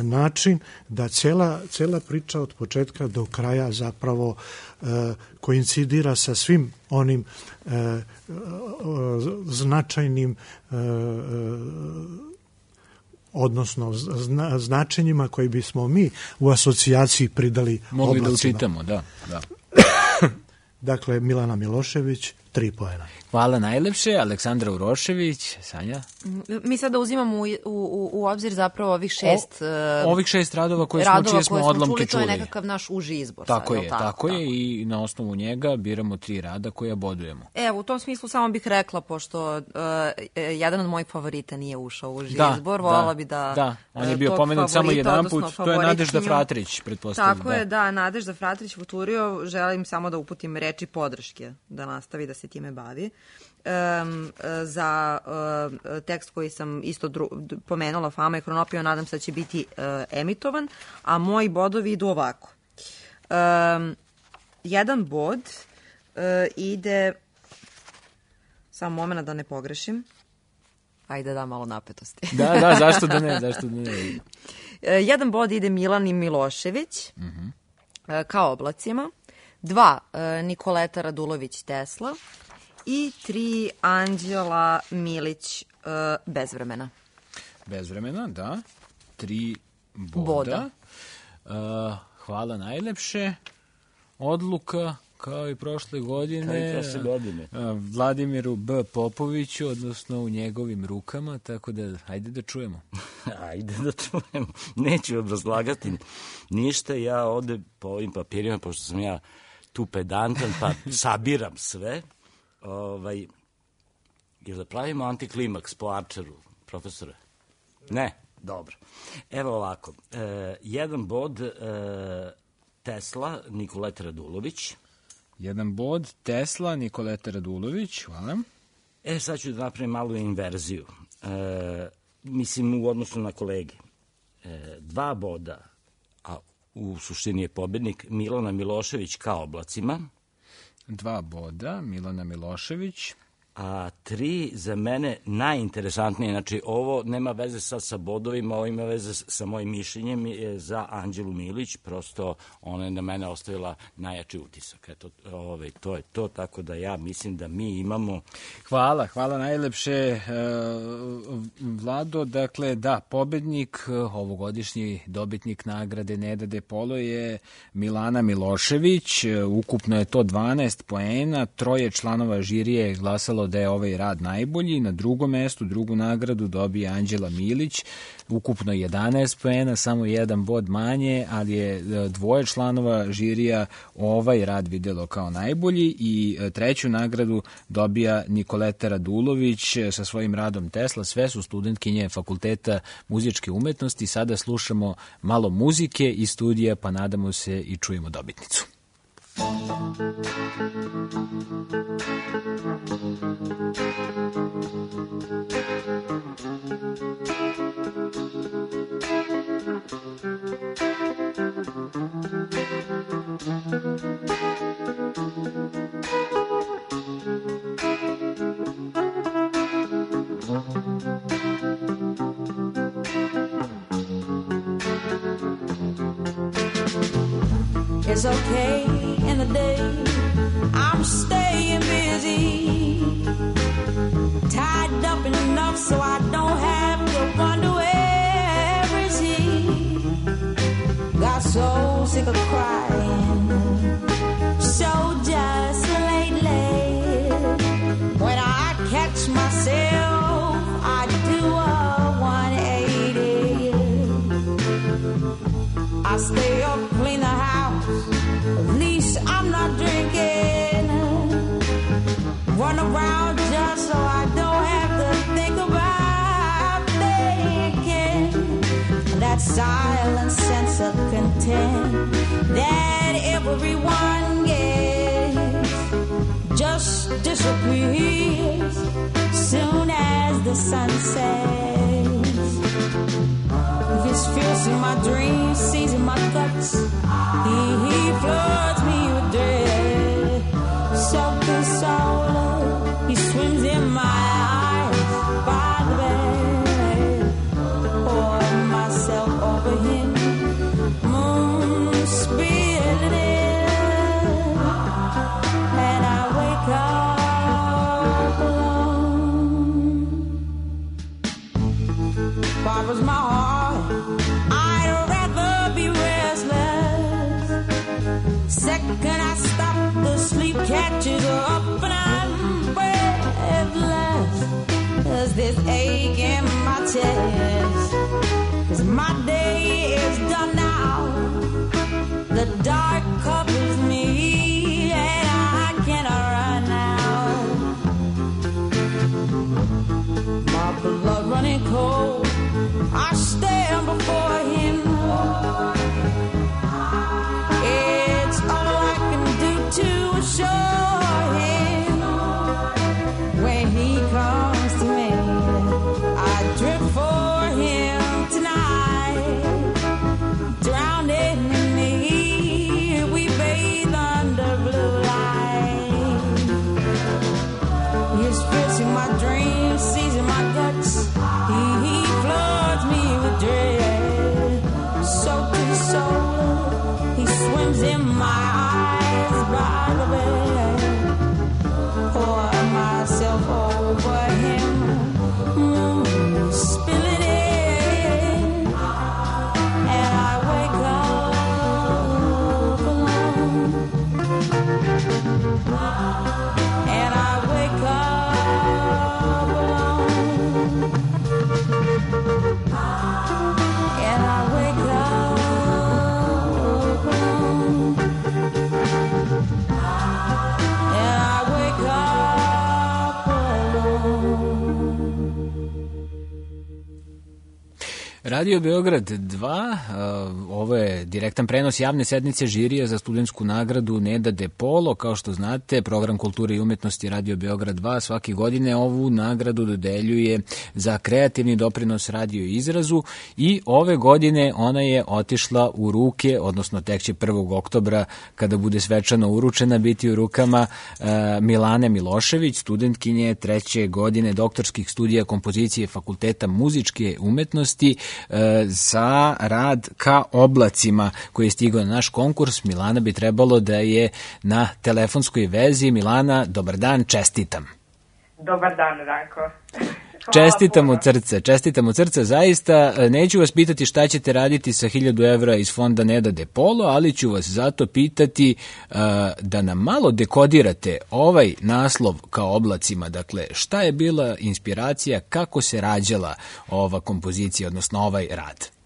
način, da cela, cela priča od početka do kraja zapravo koincidira sa svim onim značajnim odnosno zna, značenjima koji bismo mi u asocijaciji pridali mogli oblacima. Da učitamo, da, da. Dakle, Milana Milošević, tri poena. Hvala najlepše. Aleksandra Urošević, Sanja? Mi sada uzimamo u, u, u obzir zapravo ovih šest... O, ovih šest radova koje smo, čije smo odlomke čuli. To je nekakav naš uži izbor. Tako sad, je, tako, tako je tako. I na osnovu njega biramo tri rada koja bodujemo. Evo, u tom smislu samo bih rekla, pošto uh, jedan od mojih favorita nije ušao u uži da, izbor, volala bi da... Da, on je bio pomenut samo jedan put, to je Nadežda Fratrić, pretpostavljam. Tako da. je, da, Nadežda Fratrić futurio, želim samo da uputim reči podrške, da nastavi da se time bavi. Um, za uh, tekst koji sam isto dru, pomenula, Fama i Hronopija, nadam se da će biti uh, emitovan, a moji bodovi idu ovako. Um, jedan bod uh, ide, samo moment da ne pogrešim, ajde da malo napetosti. Da, da, zašto da ne, zašto da ne. Uh, jedan bod ide Milani Milošević, uh-huh. uh, Ka oblacima, dva uh, Nikoleta Radulović Tesla, i tri Anđela Milić, uh, Bez vremena. Bez vremena, da. Tri boda. boda. Uh, hvala najlepše. Odluka, kao i prošle godine, kao i prošle godine. Uh, Vladimiru B. Popoviću, odnosno u njegovim rukama, tako da, ajde da čujemo. Ajde da čujemo. Neću obrazlagati ništa, ja ovde po ovim papirima, pošto sam ja tu pedantan, pa sabiram sve, ovaj, Jel da pravimo antiklimaks po Arčeru, profesore? Ne? Dobro. Evo ovako. E, jedan bod e, Tesla, Nikoleta Radulović. Jedan bod Tesla, Nikoleta Radulović. Hvala. E, sad ću da napravim malu inverziju. E, mislim, u odnosu na kolege. E, dva boda, a u suštini je pobednik, Milana Milošević ka oblacima. Dva boda, Milana Milošević. A tri za mene najinteresantnije, znači ovo nema veze sad sa bodovima, ovo ima veze sa mojim mišljenjem, je za Anđelu Milić, prosto ona je na mene ostavila najjači utisak. Eto, ovaj, to je to, tako da ja mislim da mi imamo... Hvala, hvala najlepše, Vlado. Dakle, da, pobednik, ovogodišnji dobitnik nagrade Neda De Polo je Milana Milošević, ukupno je to dvanaest poena, troje članova žirije je glasalo da je ovaj rad najbolji. Na drugom mestu, drugu nagradu dobije Anđela Milić, ukupno jedanaest poena, samo jedan bod manje, ali je dvoje članova žirija ovaj rad videlo kao najbolji i treću nagradu dobija Nikoleta Radulović sa svojim radom Tesla. Sve su studentkinje Fakulteta muzičke umetnosti. Sada slušamo malo muzike iz studija, pa nadamo se i čujemo dobitnicu. It's okay in the day, I'm staying busy, tied up enough so I don't have to wonder where is he. Got so sick of crying, so just lately. When I catch myself, I do a one eighty. I stay up, clean the house, at least I'm not drinking. Run around just so I don't have to think about thinking. That silent sense of content that everyone gets just disappears soon as the sun sets. This feels in my dreams, sees in my guts. He, he floods me with dread. So consoled, he swims in my eyes by the bed. Pour myself over him, moon spilling in, and I wake up alone. Barbara's my heart, I'd rather be restless. Second I stop, the sleep catches up and I'm breathless. There's this ache in my chest, 'cause my day is done now. The dark covers me and I cannot run now. My blood running cold, I stand before him. It's all I can do to assure him. When he comes to me, I drift for him tonight. Drowning in me, we bathe under blue light. He's piercing my dreams, seizing my guts. He, he floods me with dread. Radio Beograd dva, ovo je direktan prenos javne sednice žirija za studentsku nagradu Neda De Polo. Kao što znate, program kulture i umetnosti Radio Beograd dva svake godine ovu nagradu dodeljuje za kreativni doprinos radio izrazu i ove godine ona je otišla u ruke, odnosno tek će prvog oktobra kada bude svečano uručena biti u rukama Milane Milošević, studentkinje treće godine doktorskih studija kompozicije Fakulteta muzičke umetnosti za rad Ka oblacima koji je stigao na naš konkurs. Milana bi trebalo da je na telefonskoj vezi. Milana, dobar dan, čestitam. Dobar dan, Ranko. Čestitam od srca, čestitam od srca, zaista. Neću vas pitati šta ćete raditi sa hiljadu evra iz fonda Neda De Polo, ali ću vas zato pitati uh, da nam malo dekodirate ovaj naslov Ka oblacima. Dakle, šta je bila inspiracija, kako se rađala ova kompozicija, odnosno ovaj rad?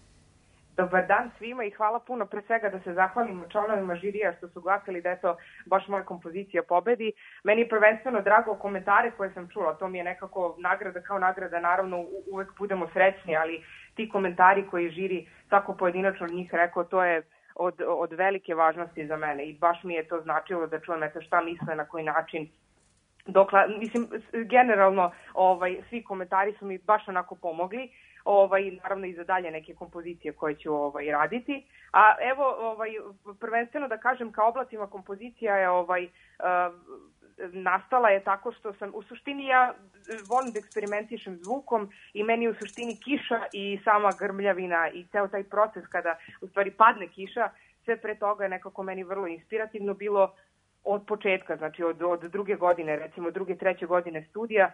Dobar dan svima i hvala puno pre svega da se zahvalim članovima žirija što su glasili da je to baš moja kompozicija pobedi. Meni je prvenstveno drago komentare koje sam čula, to mi je nekako nagrada kao nagrada, naravno uvek budemo srećni, ali ti komentari koji žiri svako pojedinačno njih rekao, to je od, od velike važnosti za mene i baš mi je to značilo da čujem eto šta misle, na koji način. Dokle, mislim, generalno ovaj, svi komentari su mi baš onako pomogli. Ovaj, naravno i za dalje neke kompozicije koje ću ovaj, raditi. A evo, ovaj, prvenstveno da kažem, Ka oblacima kompozicija je ovaj, uh, nastala je tako što sam, u suštini ja volim da eksperimentišem zvukom i meni u suštini kiša i sama grmljavina i ceo taj proces kada u stvari padne kiša, sve pre toga je nekako meni vrlo inspirativno bilo od početka, znači od, od druge godine, recimo druge, treće godine studija.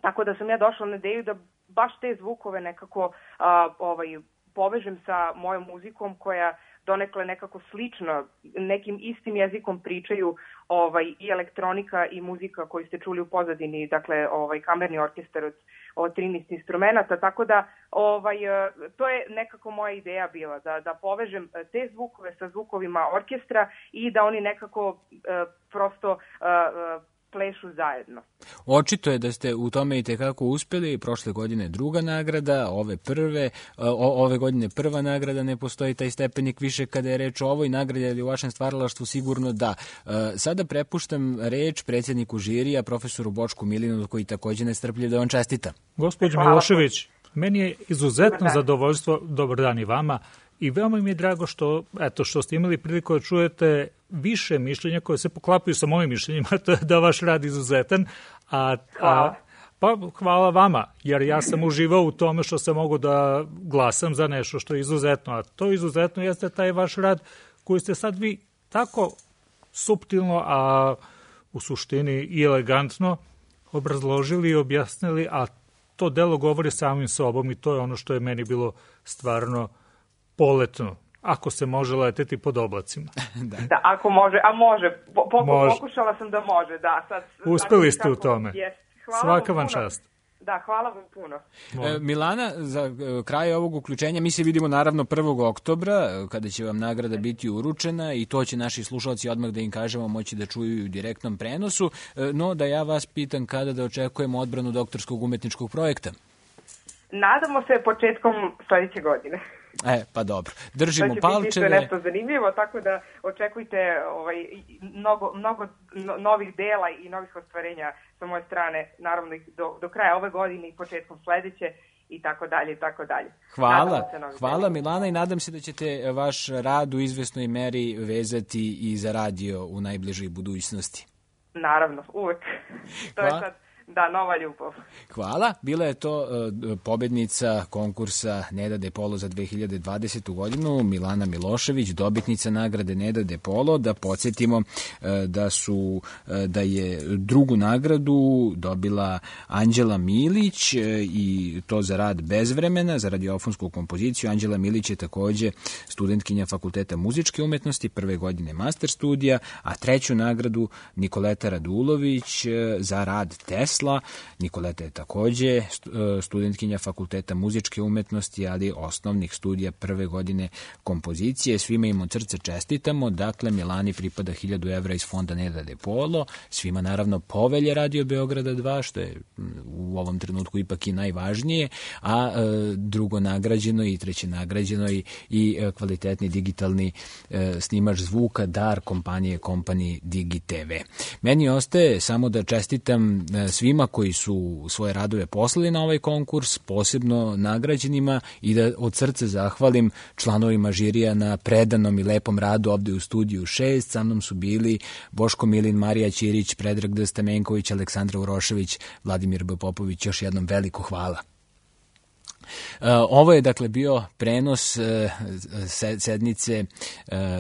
Tako da sam ja došla na ideju da baš te zvukove nekako a, ovaj, povežem sa mojom muzikom koja donekle nekako slično, nekim istim jezikom pričaju ovaj, i elektronika i muzika koju ste čuli u pozadini, dakle ovaj, kamerni orkestar od, od trinaest instrumenta, tako da ovaj, to je nekako moja ideja bila, da, da povežem te zvukove sa zvukovima orkestra i da oni nekako uh, prosto uh, plešu zajedno. Očito je da ste u tome i tekako uspeli. Prošle godine druga nagrada, ove prve, o, ove godine prva nagrada, ne postoji taj stepenik više kada je reč o ovoj nagradi, ali u vašem stvaralaštvu sigurno da. Sada prepuštam reč predsjedniku žirija, profesoru Bočku Milinu, koji takođe nestrpljiv da vam čestita. Gospođo Milošević, meni je izuzetno zadovoljstvo, dobar dan i vama, i veoma mi je drago što, eto, što ste imali priliku da čujete više mišljenja koje se poklapaju sa mojim mišljenjima, to je da vaš rad izuzetan. A, a, pa hvala vama, jer ja sam uživao u tome što sam mogu da glasam za nešto što je izuzetno, a to izuzetno jeste taj vaš rad koji ste sad vi tako suptilno, a u suštini i elegantno obrazložili i objasnili, a to delo govori samim sobom i to je ono što je meni bilo stvarno poletno, ako se može leteti pod oblacima. da. da, ako može, a može. Po, po, može. Pokušala sam da može, da. Sad, uspeli ste u tome. Yes. Svaka vam čast. Da, hvala vam puno. E, Milana, za kraj ovog uključenja mi se vidimo naravno prvog oktobra, kada će vam nagrada biti uručena i to će naši slušalci odmah da im kažemo moći da čuju u direktnom prenosu, no da ja vas pitam kada da očekujemo odbranu doktorskog umetničkog projekta. Nadamo se početkom sledeće godine. E, pa dobro. Držimo palčeve. To će biti nešto zanimljivo, tako da očekujte ovaj, mnogo, mnogo novih dela i novih ostvarenja sa moje strane, naravno do, do kraja ove godine i početkom sledeće i tako dalje i tako dalje. Hvala, hvala Milana i nadam se da ćete vaš rad u izvesnoj meri vezati i za radio u najbližoj budućnosti. Naravno, uvek. To Hvala. je sad Da, nova ljubav. Hvala. Bila je to uh, pobednica konkursa Neda De Polo za dve hiljade dvadesetu godinu, Milana Milošević, dobitnica nagrade Neda De Polo. Da podsjetimo uh, da su uh, da je drugu nagradu dobila Anđela Milić uh, i to za rad bez vremena, za radiofonsku kompoziciju. Anđela Milić je takođe studentkinja Fakulteta muzičke umetnosti, prve godine master studija, a treću nagradu Nikoleta Radulović uh, za rad test posla. Nikoleta je takođe studentkinja Fakulteta muzičke umetnosti, ali osnovnih studija prve godine kompozicije. Svima im od srca čestitamo. Dakle, Milani pripada hiljadu evra iz fonda Neda de Polo. Svima naravno Povelje Radio Beograda dva, što je u ovom trenutku ipak i najvažnije, a e, drugo nagrađeno i treće nagrađeno i, i kvalitetni digitalni e, snimač zvuka dar kompanije Company Digi te ve. Meni ostaje samo da čestitam svima koji su svoje radove poslali na ovaj konkurs, posebno nagrađenima, i da od srca zahvalim članovima žirija na predanom i lepom radu ovde u studiju šest. Sa mnom su bili Boško Milin, Marija Ćirić, Predrag D. Stamenković, Aleksandra Urošević, Vladimir B. Popović. Još jednom veliko hvala. Ovo je dakle bio prenos sednice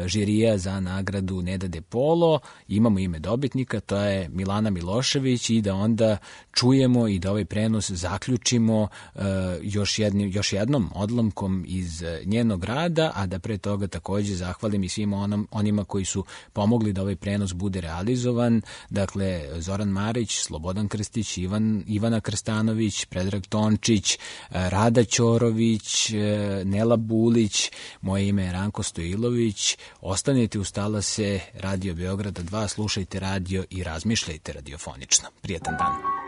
žirija za nagradu Neda de Polo. Imamo ime dobitnika, to je Milana Milošević, i da onda čujemo i da ovaj prenos zaključimo još, jednim, još jednom odlomkom iz njenog rada, a da pre toga takođe zahvalim i svima onom, onima koji su pomogli da ovaj prenos bude realizovan. Dakle, Zoran Marić, Slobodan Krstić, Ivan, Ivana Krstanović, Predrag Tončić, Rada Ćorović, Nela Bulić, moje ime je Ranko Stojilović. Ostanite uz talase Radio Beograda dva, slušajte radio i razmišljajte radiofonično. Prijetan dan.